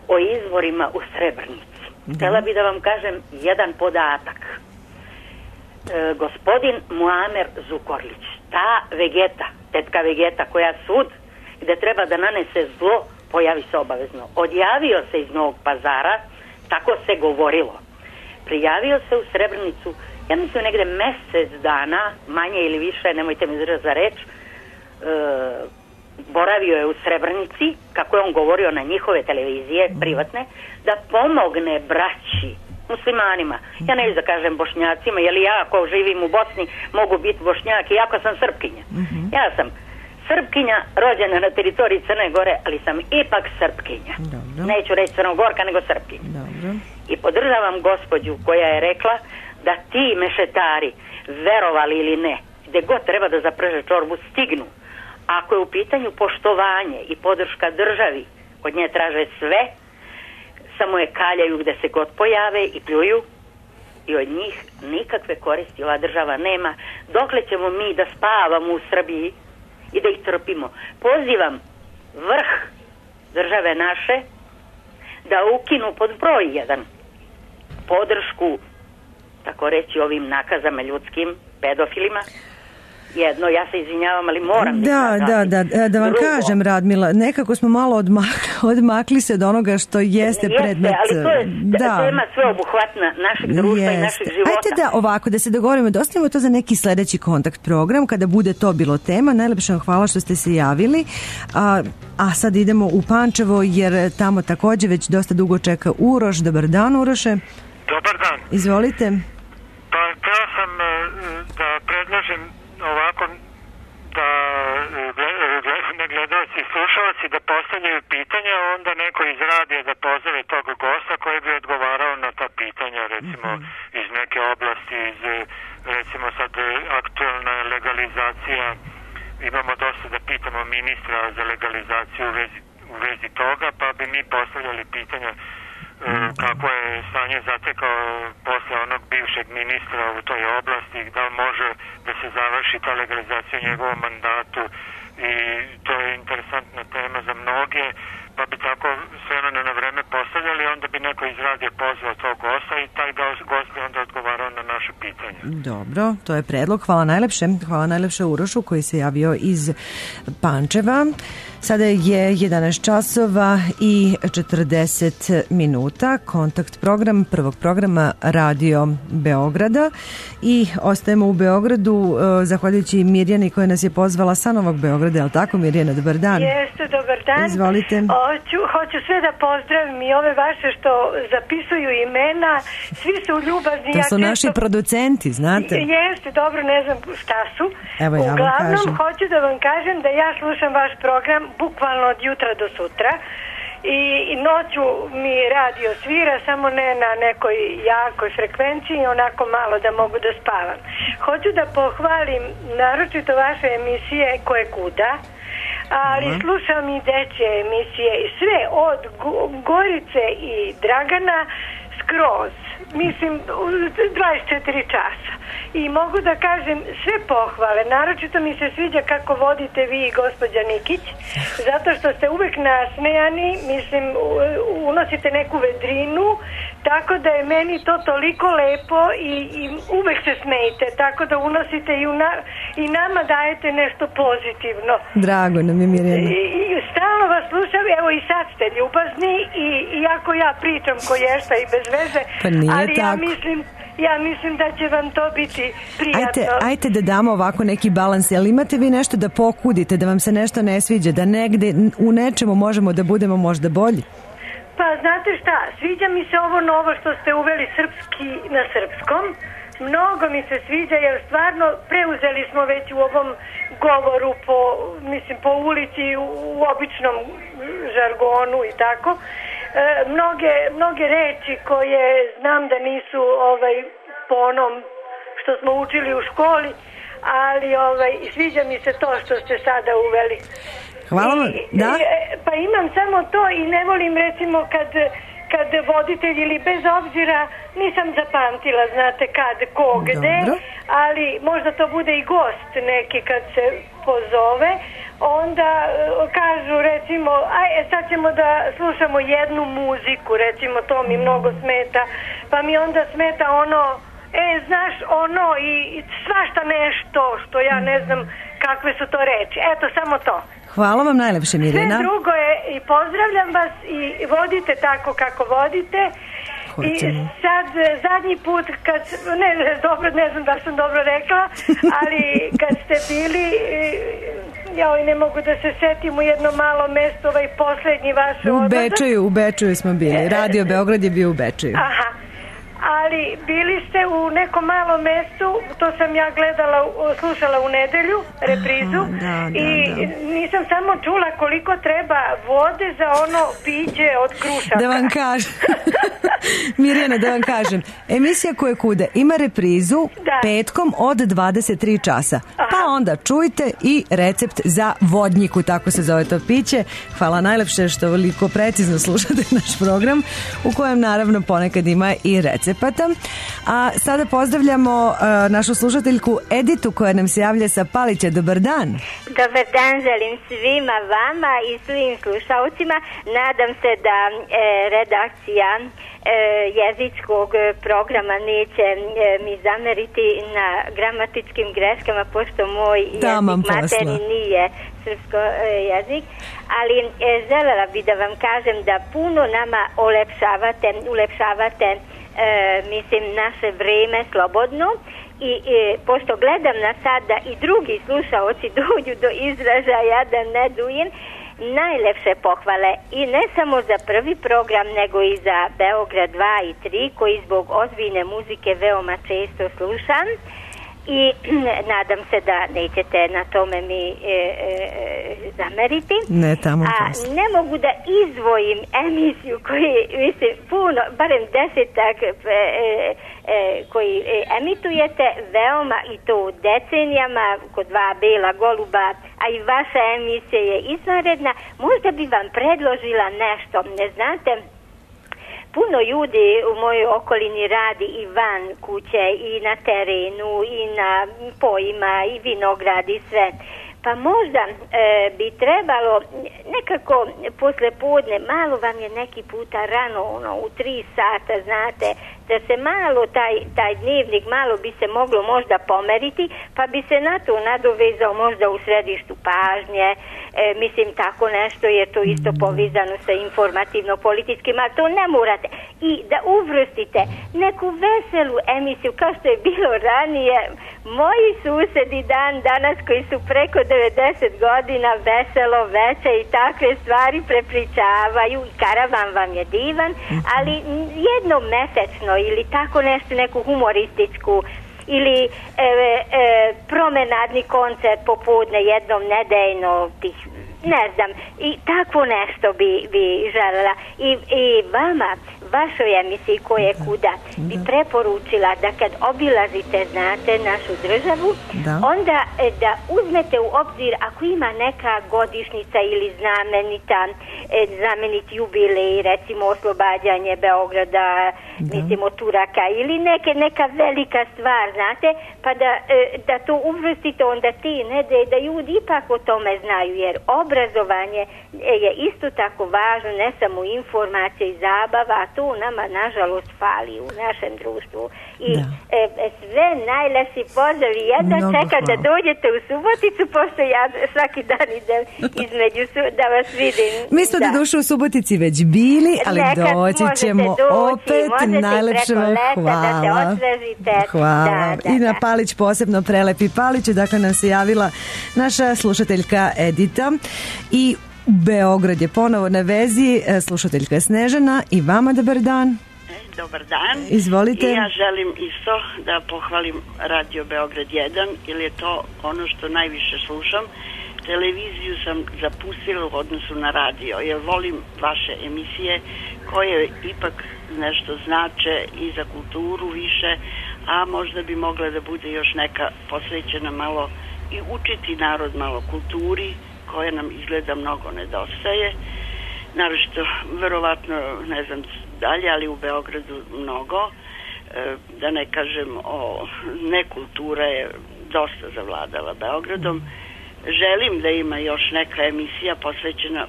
o izvorima u Srebrnici. Htjela bi da vam kažem jedan podatak. E, gospodin Muamer Zukorlić, ta Vegeta, tetka Vegeta koja sud gde treba da nanese zlo, pojavi se obavezno. Odjavio se iz Novog Pazara, tako se govorilo. Prijavio se u Srebrnicu, ja mislim negde mesec dana, manje ili više, nemojte mi držati za reč, e, boravio je u Srebrnici, kako je on govorio na njihove televizije, privatne, da pomogne braći, muslimanima. Ja neću da kažem Bošnjacima, jer ja ako živim u Bosni mogu biti Bošnjak, iako sam Srpkinja. Ja sam Srpkinja, rođena na teritoriji Crne Gore, ali sam ipak Srpkinja. Dobro. Neću reći Crnogorka, nego Srpkinja. Dobro. I podržavam gospođu koja je rekla da ti mešetari, verovali ili ne, gde god treba da zaprže čorbu, stignu. Ako je u pitanju poštovanje i podrška državi, od nje traže sve, samo je kaljaju gde se god pojave i pljuju, i od njih nikakve koristi ova država nema. Dokle ćemo mi da spavamo u Srbiji i da ih trpimo? Pozivam vrh države naše da ukinu pod broj jedan podršku, tako reći, ovim nakazama ljudskim, pedofilima. Jedno, ja se izvinjavam, ali moram da, da, da, da, da vam Drugo. kažem, Radmila, nekako smo malo odmakli, odmakli se od onoga što jeste, jeste predmet. ali to je da. tema sveobuhvatna našeg društva Jeste. i našeg života. Ajde da ovako, da se dogovorimo, da ostavimo to za neki sledeći kontakt program, kada bude to bilo tema. Najlepše vam hvala što ste se javili. A, a sad idemo u Pančevo, jer tamo takođe već dosta dugo čeka Uroš. Dobar dan, Uroše. Dobar dan. Izvolite. Pa htio sam da predložim ovako da ne gledalci i slušalci da postavljaju pitanja, onda neko iz radija da pozove tog gosta koji bi odgovarao na ta pitanja, recimo iz neke oblasti, iz recimo sad aktualna legalizacija, imamo dosta da pitamo ministra za legalizaciju u vezi, u vezi toga, pa bi mi postavljali pitanja kako je stanje zatekao posle onog bivšeg ministra u toj oblasti, da li može da se završi ta legalizacija u njegovom mandatu, i to je interesantna tema za mnoge, pa bi tako sve ono na vreme postavljali, onda bi neko iz radija pozvao tog gosta i taj gost bi onda odgovarao na naše pitanje. Dobro, to je predlog. Hvala najlepše. Hvala najlepše Urošu koji se javio iz Pančeva. Sada je jedanaest časova i četrdeset minuta. Kontakt program prvog programa Radio Beograda i ostajemo u Beogradu zahvaljujući Mirjani koja nas je pozvala sa Novog Beograda. Je li tako, Mirjana? Dobar dan. Jeste, dobar dan. Izvolite. Hoću, hoću sve da pozdravim i ove vaše što zapisuju imena. Svi su ljubazni. To su ja naši često... producenti, znate. Jeste, dobro, ne znam šta su. Evo ja vam Uglavnom, kažem. hoću da vam kažem da ja slušam vaš program bukvalno od jutra do sutra. I noću mi radio svira, samo ne na nekoj jakoj frekvenciji, onako malo da mogu da spavam. Hoću da pohvalim naročito vaše emisije Koje kuda, ali uh-huh. slušam i dečje emisije i sve od Gorice i Dragana skroz, mislim dvadeset četiri časa. I mogu da kažem sve pohvale, naročito mi se sviđa kako vodite vi i gospođa Nikić, zato što ste uvek nasmejani, mislim unosite neku vedrinu, tako da je meni to toliko lepo i, i uvek se smejite, tako da unosite i, una, i nama dajete nešto pozitivno. Drago nam je, Mirjana. I, i stalno vas slušam, evo i sad ste ljubazni i iako ja pričam koješta i bez veze, pa nije ali tako. ja mislim Ja mislim da će vam to biti prijatno. Ajte, ajte da damo ovako neki balans. Jel imate vi nešto da pokudite, da vam se nešto ne sviđa, da negde u nečemu možemo da budemo možda bolji? Pa znate šta, sviđa mi se ovo novo što ste uveli srpski na srpskom. Mnogo mi se sviđa jer stvarno preuzeli smo već u ovom govoru po, mislim, po ulici u, u običnom žargonu i tako. E, mnoge, mnoge reči koje znam da nisu ovaj, po onom što smo učili u školi, ali ovaj, sviđa mi se to što ste sada uveli. Hvala vam, da? I, pa imam samo to i ne volim recimo kad, kad voditelj ili bez obzira nisam zapamtila, znate kad, ko, gde, ali možda to bude i gost neki kad se pozove, onda kažu recimo, aj sad ćemo da slušamo jednu muziku, recimo to mi mnogo smeta, pa mi onda smeta ono, e znaš ono i, i svašta nešto što ja ne znam kakve su to reči, eto samo to. Hvala vam najlepše, Mirjana. Sve drugo je i pozdravljam vas i vodite tako kako vodite. Hoćemo. I sad zadnji put kad, ne, dobro, ne znam da sam dobro rekla, ali kad ste bili, joj ne mogu da se setim u jedno malo mesto, ovaj poslednji vaš odlazak. U Bečeju, u Bečeju smo bili, Radio Beograd je bio u Bečeju. Aha. Ali bili ste u nekom malom mestu, to sam ja gledala, slušala u nedelju, reprizu, Aha, da, da, i da. nisam samo čula koliko treba vode za ono piće od krušaka. Da vam kažem. Mirjana, da vam kažem. Emisija Koje kude ima reprizu da. petkom od dvadeset tri časa. Aha. Pa onda čujte i recept za vodnjiku, tako se zove to piće. Hvala najlepše što veliko precizno slušate naš program, u kojem naravno ponekad ima i recepata. A sada pozdravljamo uh, našu slušateljku Editu koja nam se javlja sa Palića. Dobar dan. Dobar dan, želim svima vama i svim slušalcima. Nadam se da e, redakcija e, jezičkog programa neće e, mi zameriti na gramatičkim greškama, pošto moj Tamam jezik materni nije srpsko e, jezik. Ali e, želela bi da vam kažem da puno nama olepšavate, ulepšavate e, mislim naše vreme slobodno. I, i pošto gledam na sad da i drugi slušaoci dođu do izražaja, da ne dujem, najlepše pohvale i ne samo za prvi program, nego i za Beograd dva i tri, koji zbog ozbiljne muzike veoma često slušam i nadam se da nećete na tome mi e, e, zameriti. Ne, tamo A posle. ne mogu da izdvojim emisiju koji, mislim, puno, barem desetak e, e, koji e, emitujete veoma, i to u decenijama, kod dva Bela goluba, a i vaša emisija je izvanredna. Možda bi vam predložila nešto, ne znate, puno ljudi u mojoj okolini radi i van kuće i na terenu i na pojima i vinograd i sve. Pa možda e, bi trebalo nekako posle podne, malo vam je neki puta rano, ono, u tri sata, znate, da se malo taj, taj dnevnik, malo bi se moglo možda pomeriti, pa bi se na to nadovezao možda u središtu pažnje, e, mislim tako nešto, je to isto povezano sa informativno-političkim, ali to ne morate. I da uvrstite neku veselu emisiju, kao što je bilo ranije, moji susedi dan danas koji su preko devedeset godina, veselo veče i takve stvari prepričavaju, i karavan vam je divan, ali jednom mesečno ili tako nešto, neku humorističku ili e, e, promenadni koncert popodne jednom nedeljno, tih, ne znam, i tako nešto bi, bi želela. I, i vama, vašoj emisiji Koje kuda, bi preporučila da kad obilazite, znate, našu državu, da. onda e, da uzmete u obzir ako ima neka godišnjica ili znamenita, e, znamenit jubilej, recimo oslobađanje Beograda, da. mislim od Turaka, ili neke, neka velika stvar, znate, pa da, e, da to uvrstite onda ti nedelje, da ljudi ipak o tome znaju, jer obrazovanje je isto tako važno, ne samo informacija i zabava, a to nama nažalost fali u našem društvu. I e, sve najlepši pozdrav i jedno čekam da dođete u Suboticu, pošto ja svaki dan idem između su, da vas vidim. Mi smo da. do duše u Subotici već bili, ali Nekad doći ćemo doći, opet. Najlepše vam hvala. Da se osvežite. Hvala. Da, da, I na da. Palić posebno prelepi Palić, dakle nam se javila naša slušateljka Edita i Beograd je ponovo na vezi, slušateljka Snežana. I vama dobar dan. Dobar dan. Izvolite. I ja želim isto da pohvalim Radio Beograd jedan, jer je to ono što najviše slušam. Televiziju sam zapustila u odnosu na radio, jer volim vaše emisije koje ipak nešto znače i za kulturu više, a možda bi mogla da bude još neka posvećena malo i učiti narod malo kulturi, koja nam izgleda mnogo nedostaje. Naročito, verovatno, ne znam dalje, ali u Beogradu mnogo. E, da ne kažem o nekultura je dosta zavladala Beogradom. Želim da ima još neka emisija posvećena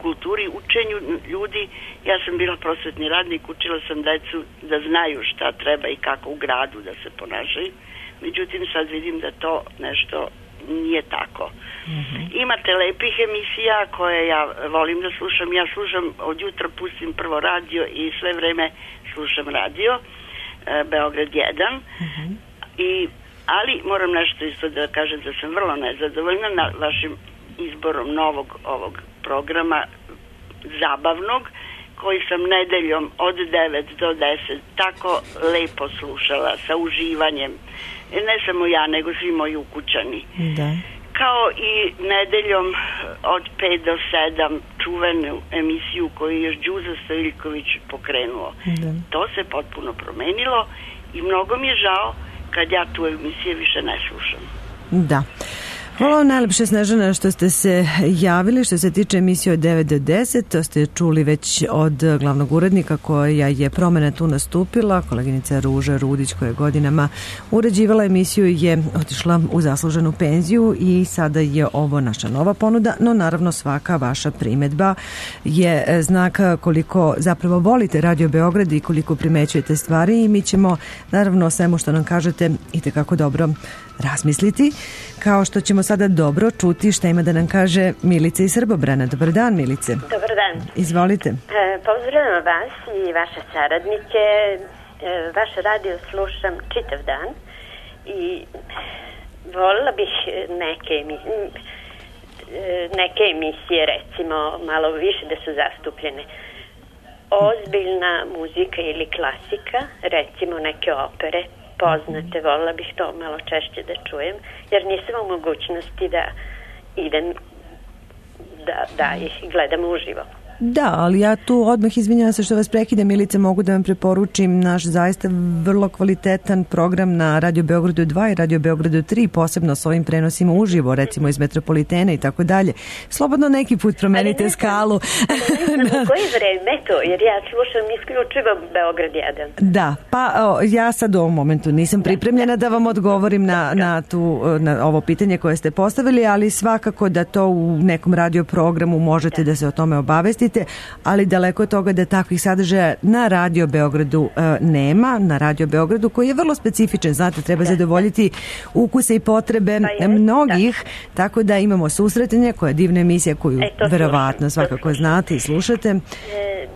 kulturi, učenju ljudi. Ja sam bila prosvetni radnik, učila sam decu da znaju šta treba i kako u gradu da se ponašaju. Međutim, sad vidim da to nešto nije tako. Mm-hmm. Imate lepih emisija koje ja volim da slušam. Ja slušam, od jutra pustim prvo radio i sve vreme slušam radio e, Beograd jedan. Mm-hmm. I, ali moram nešto isto da kažem da sam vrlo nezadovoljna na vašim izborom novog ovog programa, zabavnog, koji sam nedeljom od devet do deset tako lepo slušala sa uživanjem. Ne samo ja, nego svi moji ukućani. Da. Kao i nedeljom od pet do sedam čuvenu emisiju koju je još Đuza Stojiljković pokrenuo. Da. To se potpuno promenilo i mnogo mi je žao kad ja tu emisije više ne slušam. Da. Hvala vam najlepše, Snežana, što ste se javili. Što se tiče emisije od devet do deset, to ste čuli već od glavnog urednika koja je promena tu nastupila. Koleginica Ruža Rudić, koja je godinama uređivala emisiju, je otišla u zasluženu penziju i sada je ovo naša nova ponuda, no naravno svaka vaša primedba je znak koliko zapravo volite Radio Beograd i koliko primećujete stvari i mi ćemo naravno o svemu što nam kažete itekako dobro razmisliti, kao što ćemo sada dobro čuti šta ima da nam kaže Milica iz Srbobrana. Dobar dan, Milice. Dobar dan. Izvolite. E, pozdravljam vas i vaše saradnike. E, vaš radio slušam čitav dan i volila bih neke emisije, neke emisije recimo malo više da su zastupljene. Ozbiljna muzika ili klasika, recimo neke opere poznate, volila bih to malo češće da čujem, jer nisam u mogućnosti da idem da, da ih gledam uživo. Da, ali ja tu odmah izvinjam se što vas prekidam, Milice, mogu da vam preporučim naš zaista vrlo kvalitetan program na Radio Beogradu dva i Radio Beogradu tri, posebno s ovim prenosima uživo, recimo iz Metropolitene i tako dalje. Slobodno neki put promenite ali skalu. Ali ne znam u koji vreme to, jer ja slušam isključivo Beograd jedan. Da, pa o, ja sad u ovom momentu nisam pripremljena da vam odgovorim na, na, tu, na ovo pitanje koje ste postavili, ali svakako da to u nekom radio programu možete da, da se o tome obavestite, ali daleko od toga da takvih sadržaja na Radio Beogradu e, nema, na Radio Beogradu koji je vrlo specifičan, znate, treba da. zadovoljiti ukuse i potrebe pa je, mnogih, da. tako da imamo susretanje, koja je divna emisija koju e, verovatno svakako znate i slušate. E,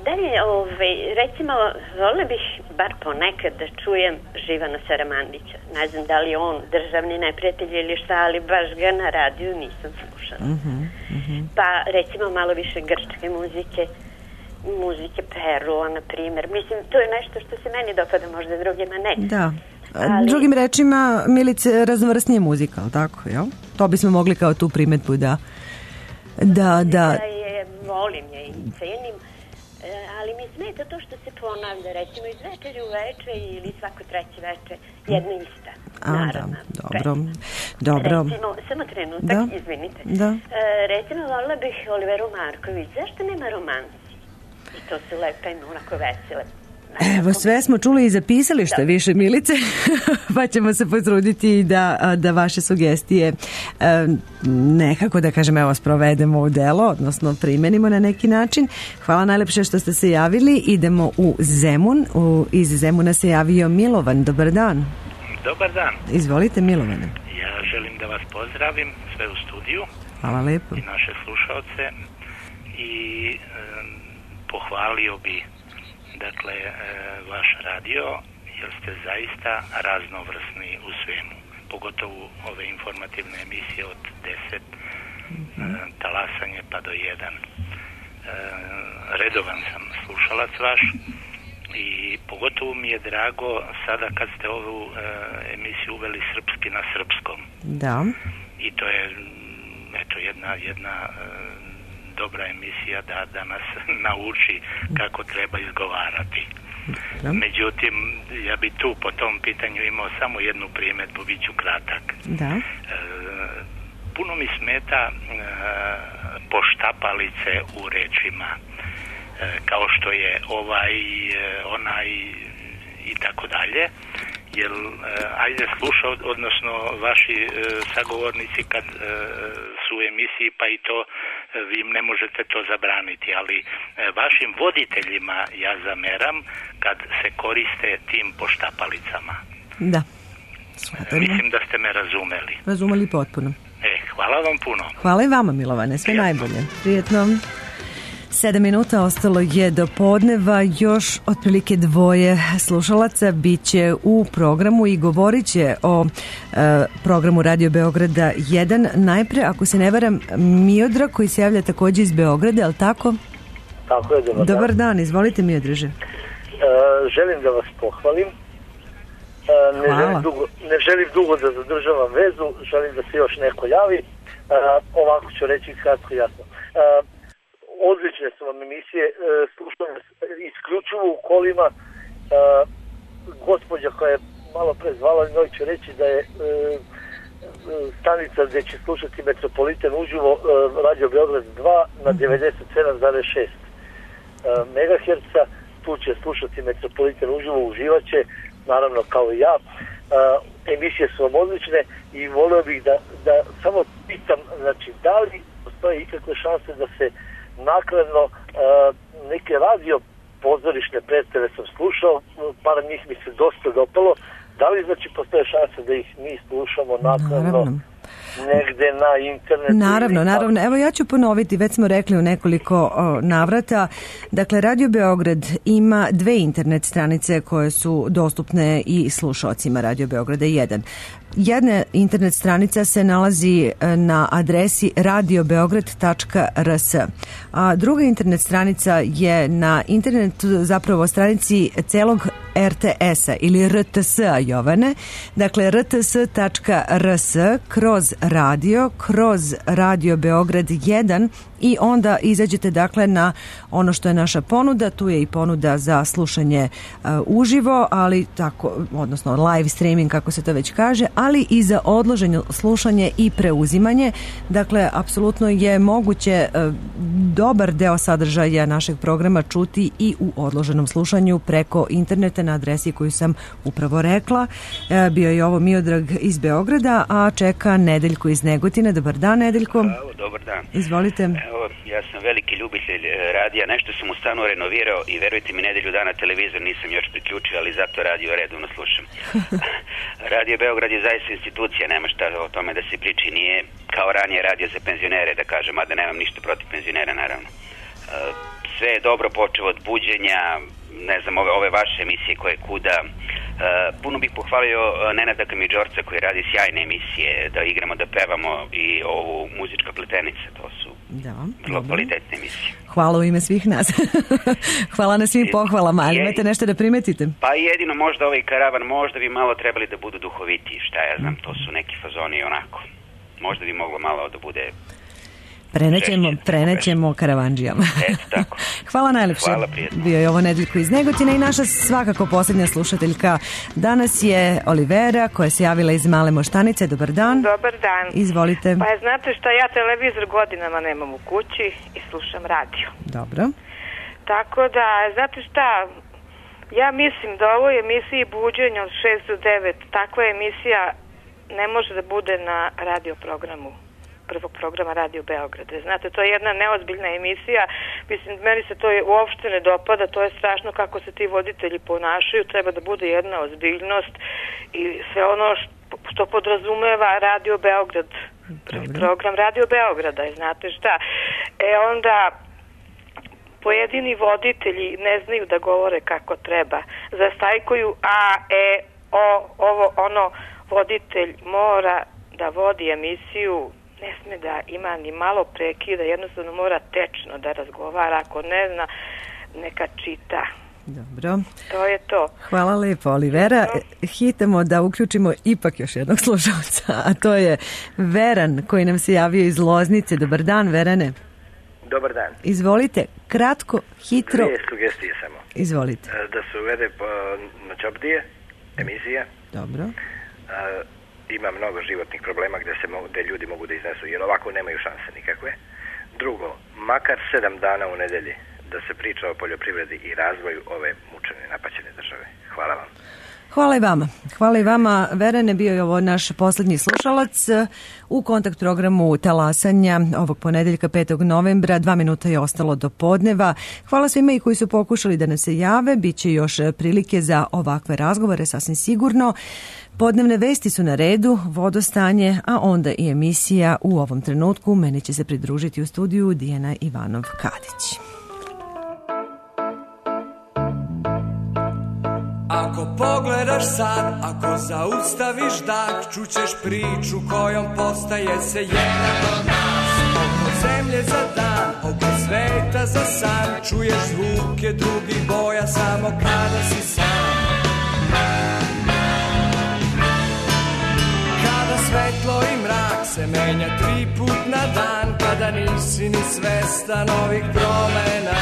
dalje, ove, recimo, volila bih bar ponekad da čujem Živana Saramandića. Ne znam da li on državni neprijatelj ili šta, ali baš ga na radiju nisam slušala. Uh-huh, uh-huh. Pa recimo malo više grčke muzike, muzike Perua, na primjer. Mislim, to je nešto što se meni dopada, možda drugima ne. Da. Ali... Drugim rečima, Milice, raznovrsnije muzika, ali tako, jel? To bismo mogli kao tu primetbu da... Da, da... da je, volim je i cenim, ali mi smeta to što se ponavlja, recimo iz večeri u večer ili svako treće večer, jedna ista. A, naravno, da, dobro, dobro. Recimo, samo trenutak, da. izvinite. Da. E, recimo, volila bih Oliveru Marković. Zašto nema romansi? I to su lepe i onako vesele. Evo, sve smo čuli i zapisali što više, Milice, pa ćemo se potruditi da, da vaše sugestije nekako, da kažem, evo, sprovedemo u delo, odnosno primenimo na neki način. Hvala najlepše što ste se javili. Idemo u Zemun. U, iz Zemuna se javio Milovan. Dobar dan. Dobar dan. Izvolite, Milovane. Ja želim da vas pozdravim sve u studiju. Hvala lepo. I naše slušaoce. I e, pohvalio bi dakle e, vaš radio, jer ste zaista raznovrsni u svemu. Pogotovo ove informativne emisije od deset, mm-hmm. e, talasanje pa do jedan. E, redovan sam slušalac vaš. I pogotovo mi je drago sada kad ste ovu e, emisiju uveli srpski na srpskom. Da. I to je eto jedna jedna e, dobra emisija da, da nas nauči kako treba izgovarati. Da. Međutim, ja bi tu po tom pitanju imao samo jednu primjedbu, bit ću kratak. Da. E, puno mi smeta e, poštapalice u rečima. Kao što je ovaj, onaj i tako dalje, jer ajde sluša, odnosno vaši sagovornici kad su u emisiji, pa i to vi im ne možete to zabraniti, ali vašim voditeljima ja zameram kad se koriste tim poštapalicama. Da. Svatarno. Mislim da ste me razumeli. Razumeli potpuno. E, hvala vam puno. Hvala i vama, Milovane, sve Prijetno. najbolje. Prijetno. Sedam minuta ostalo je do podneva, još otprilike dvoje slušalaca biće u programu i govorit će o e, programu Radio Beograda jedan. Najpre, ako se ne varam, Miodra koji se javlja također iz Beograda, je li tako? Tako je, dobar dan. Dobar dan, izvolite Miodraže. E, želim da vas pohvalim. E, ne, želim dugo, ne želim dugo da zadržavam vezu, želim da se još neko javi. E, ovako ću reći kratko jasno. E, odlične su vam emisije, e, slušam isključivo u kolima. E, gospođa koja je malo pre zvala, njoj ću reći da je e, stanica gdje će slušati Metropolitan uživo, e, Radio Beograd dva na devedeset sedam zarez šest megaherca, tu će slušati Metropolitan uživo, uživaće, naravno kao i ja. E, emisije su vam odlične i volio bih da, da samo pitam, znači, da li postoje ikakve šanse da se nakladno e, neke radio pozorišne predstave sam slušao, par njih mi se dosta dopalo. Da li znači postoje šanse da ih mi slušamo nakladno negde na internetu? Naravno, naravno. Evo ja ću ponoviti, već smo rekli u nekoliko o, navrata. Dakle, Radio Beograd ima dve internet stranice koje su dostupne i slušaocima Radio Beograda jedan. Jedna internet stranica se nalazi na adresi radio beograd tačka r s, a druga internet stranica je na internetu, zapravo stranici celog er te es-a ili er te es-a, Jovane. Dakle, er te es tačka r s kroz radio, kroz Radio Beograd jedan i onda izađete dakle na ono što je naša ponuda. Tu je i ponuda za slušanje uh, uživo, ali tako, odnosno live streaming kako se to već kaže, ali i za odloženo slušanje i preuzimanje. Dakle, apsolutno je moguće uh, dobar deo sadržaja našeg programa čuti i u odloženom slušanju preko interneta na adresi koju sam upravo rekla. Uh, bio je ovo Miodrag iz Beograda, a čeka Nedeljko iz Negotina. Dobar dan, Nedeljko. Bravo, dobar dan. Izvolite. Evo, ja sam veliki ljubitelj radija, nešto sam u stanu renovirao i verujte mi, nedelju dana televizor nisam još priključio, ali zato radio redovno slušam. Radio Beograd je zaista institucija, nema šta o tome da se priči, nije kao ranije radio za penzionere, da kažem, mada nemam ništa protiv penzionera, naravno. Sve je dobro počeo od buđenja, ne znam, ove, ove vaše emisije koje kuda. Uh, puno bih pohvalio Nenada Kamidžorca koji radi sjajne emisije, da igramo, da pevamo, i ovu Muzička pletenica, to su da, vrlo kvalitetne emisije. Hvala u ime svih nas. Hvala na svim pohvalama, ali imate nešto da primetite? Pa jedino možda ovaj karavan, možda bi malo trebali da budu duhovitiji, šta ja znam, to su neki fazoni onako. Možda bi moglo malo da bude... Prenećemo, prenećemo karavanđijama. Eto tako. Hvala najlepše. Hvala, prijatno. Bio je ovo Nedeljko iz Negotina i naša svakako posljednja slušateljka danas je Olivera, koja se javila iz Male Moštanice. Dobar dan. Dobar dan. Izvolite. Pa je, znate šta, ja televizor godinama nemam u kući i slušam radio. Dobro. Tako da, znate šta, ja mislim da ovoj emisiji buđenja od šest do devet, takva emisija ne može da bude na radio programu prvog programa Radio Beograda. Znate, to je jedna neozbiljna emisija. Mislim, meni se to je, uopšte ne dopada, to je strašno kako se ti voditelji ponašaju, treba da bude jedna ozbiljnost i sve ono što, što podrazumeva Radio Beograd, prvi Dobre. program Radio Beograda, znate šta. E onda pojedini voditelji ne znaju da govore kako treba. Zastajkuju a, e, o, ovo, ono, voditelj mora da vodi emisiju, ne sme da ima ni malo prekida, jednostavno mora tečno da razgovara, ako ne zna, neka čita. Dobro. To je to. Hvala lepo, Olivera. Hitamo da uključimo ipak još jednog slušalca, a to je Veran, koji nam se javio iz Loznice. Dobar dan, Verane. Dobar dan. Izvolite, kratko, hitro. Dvije sugestije samo. Izvolite. Da se uvede na Čopdije emisija. Dobro. A, ima mnogo životnih problema gde, se mogu, gde ljudi mogu da iznesu, jer ovako nemaju šanse nikakve. Drugo, makar sedam dana u nedelji da se priča o poljoprivredi i razvoju ove mučene, napaćene države. Hvala vam. Hvala i vama. Hvala i vama, Verane, bio je ovo naš posljednji slušalac u kontakt programu Talasanja ovog ponedeljka petog novembra. Dva minuta je ostalo do podneva. Hvala svima i koji su pokušali da nas se jave. Biće još prilike za ovakve razgovore, sasvim sigurno. Podnevne vesti su na redu, vodostanje, a onda i emisija u ovom trenutku. Meni će se pridružiti u studiju Dijana Ivanov-Kadić. Ako pogledaš sad, ako zaustaviš dah, čućeš priču kojom postaje se jedan od nas. oko zemlje za dan, oko sveta za san. Čuješ zvuke drugih boja samo kada si sam. Kada svetlo i mrak se menja tri put na dan, kada nisi ni svestan ovih promena.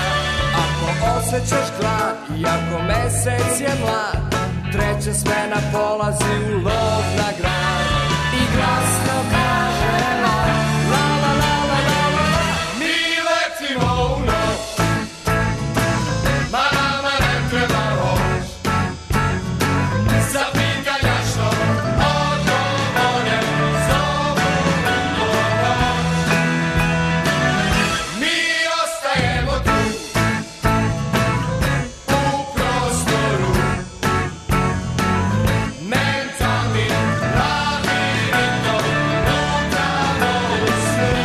Ako osjećaš glad i ako mesec je mlad, treća smena polazi u lov na grad i glasno kaže la la la la la la la la. Mi letimo u noć, ma nama ne treba voć, za pitanja što odgovore zovu u noć. Mi ostajemo tu u prostoru, mentalni labirintom lutamo u snu.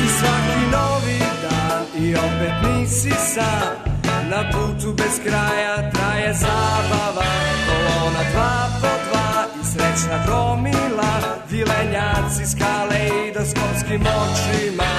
I svaki novi dan i opet nisi sam, na putu bez kraja traje zabava. Kolona dva po dva i srećna gomila, vilenjaci s kaleidoskopskim očima.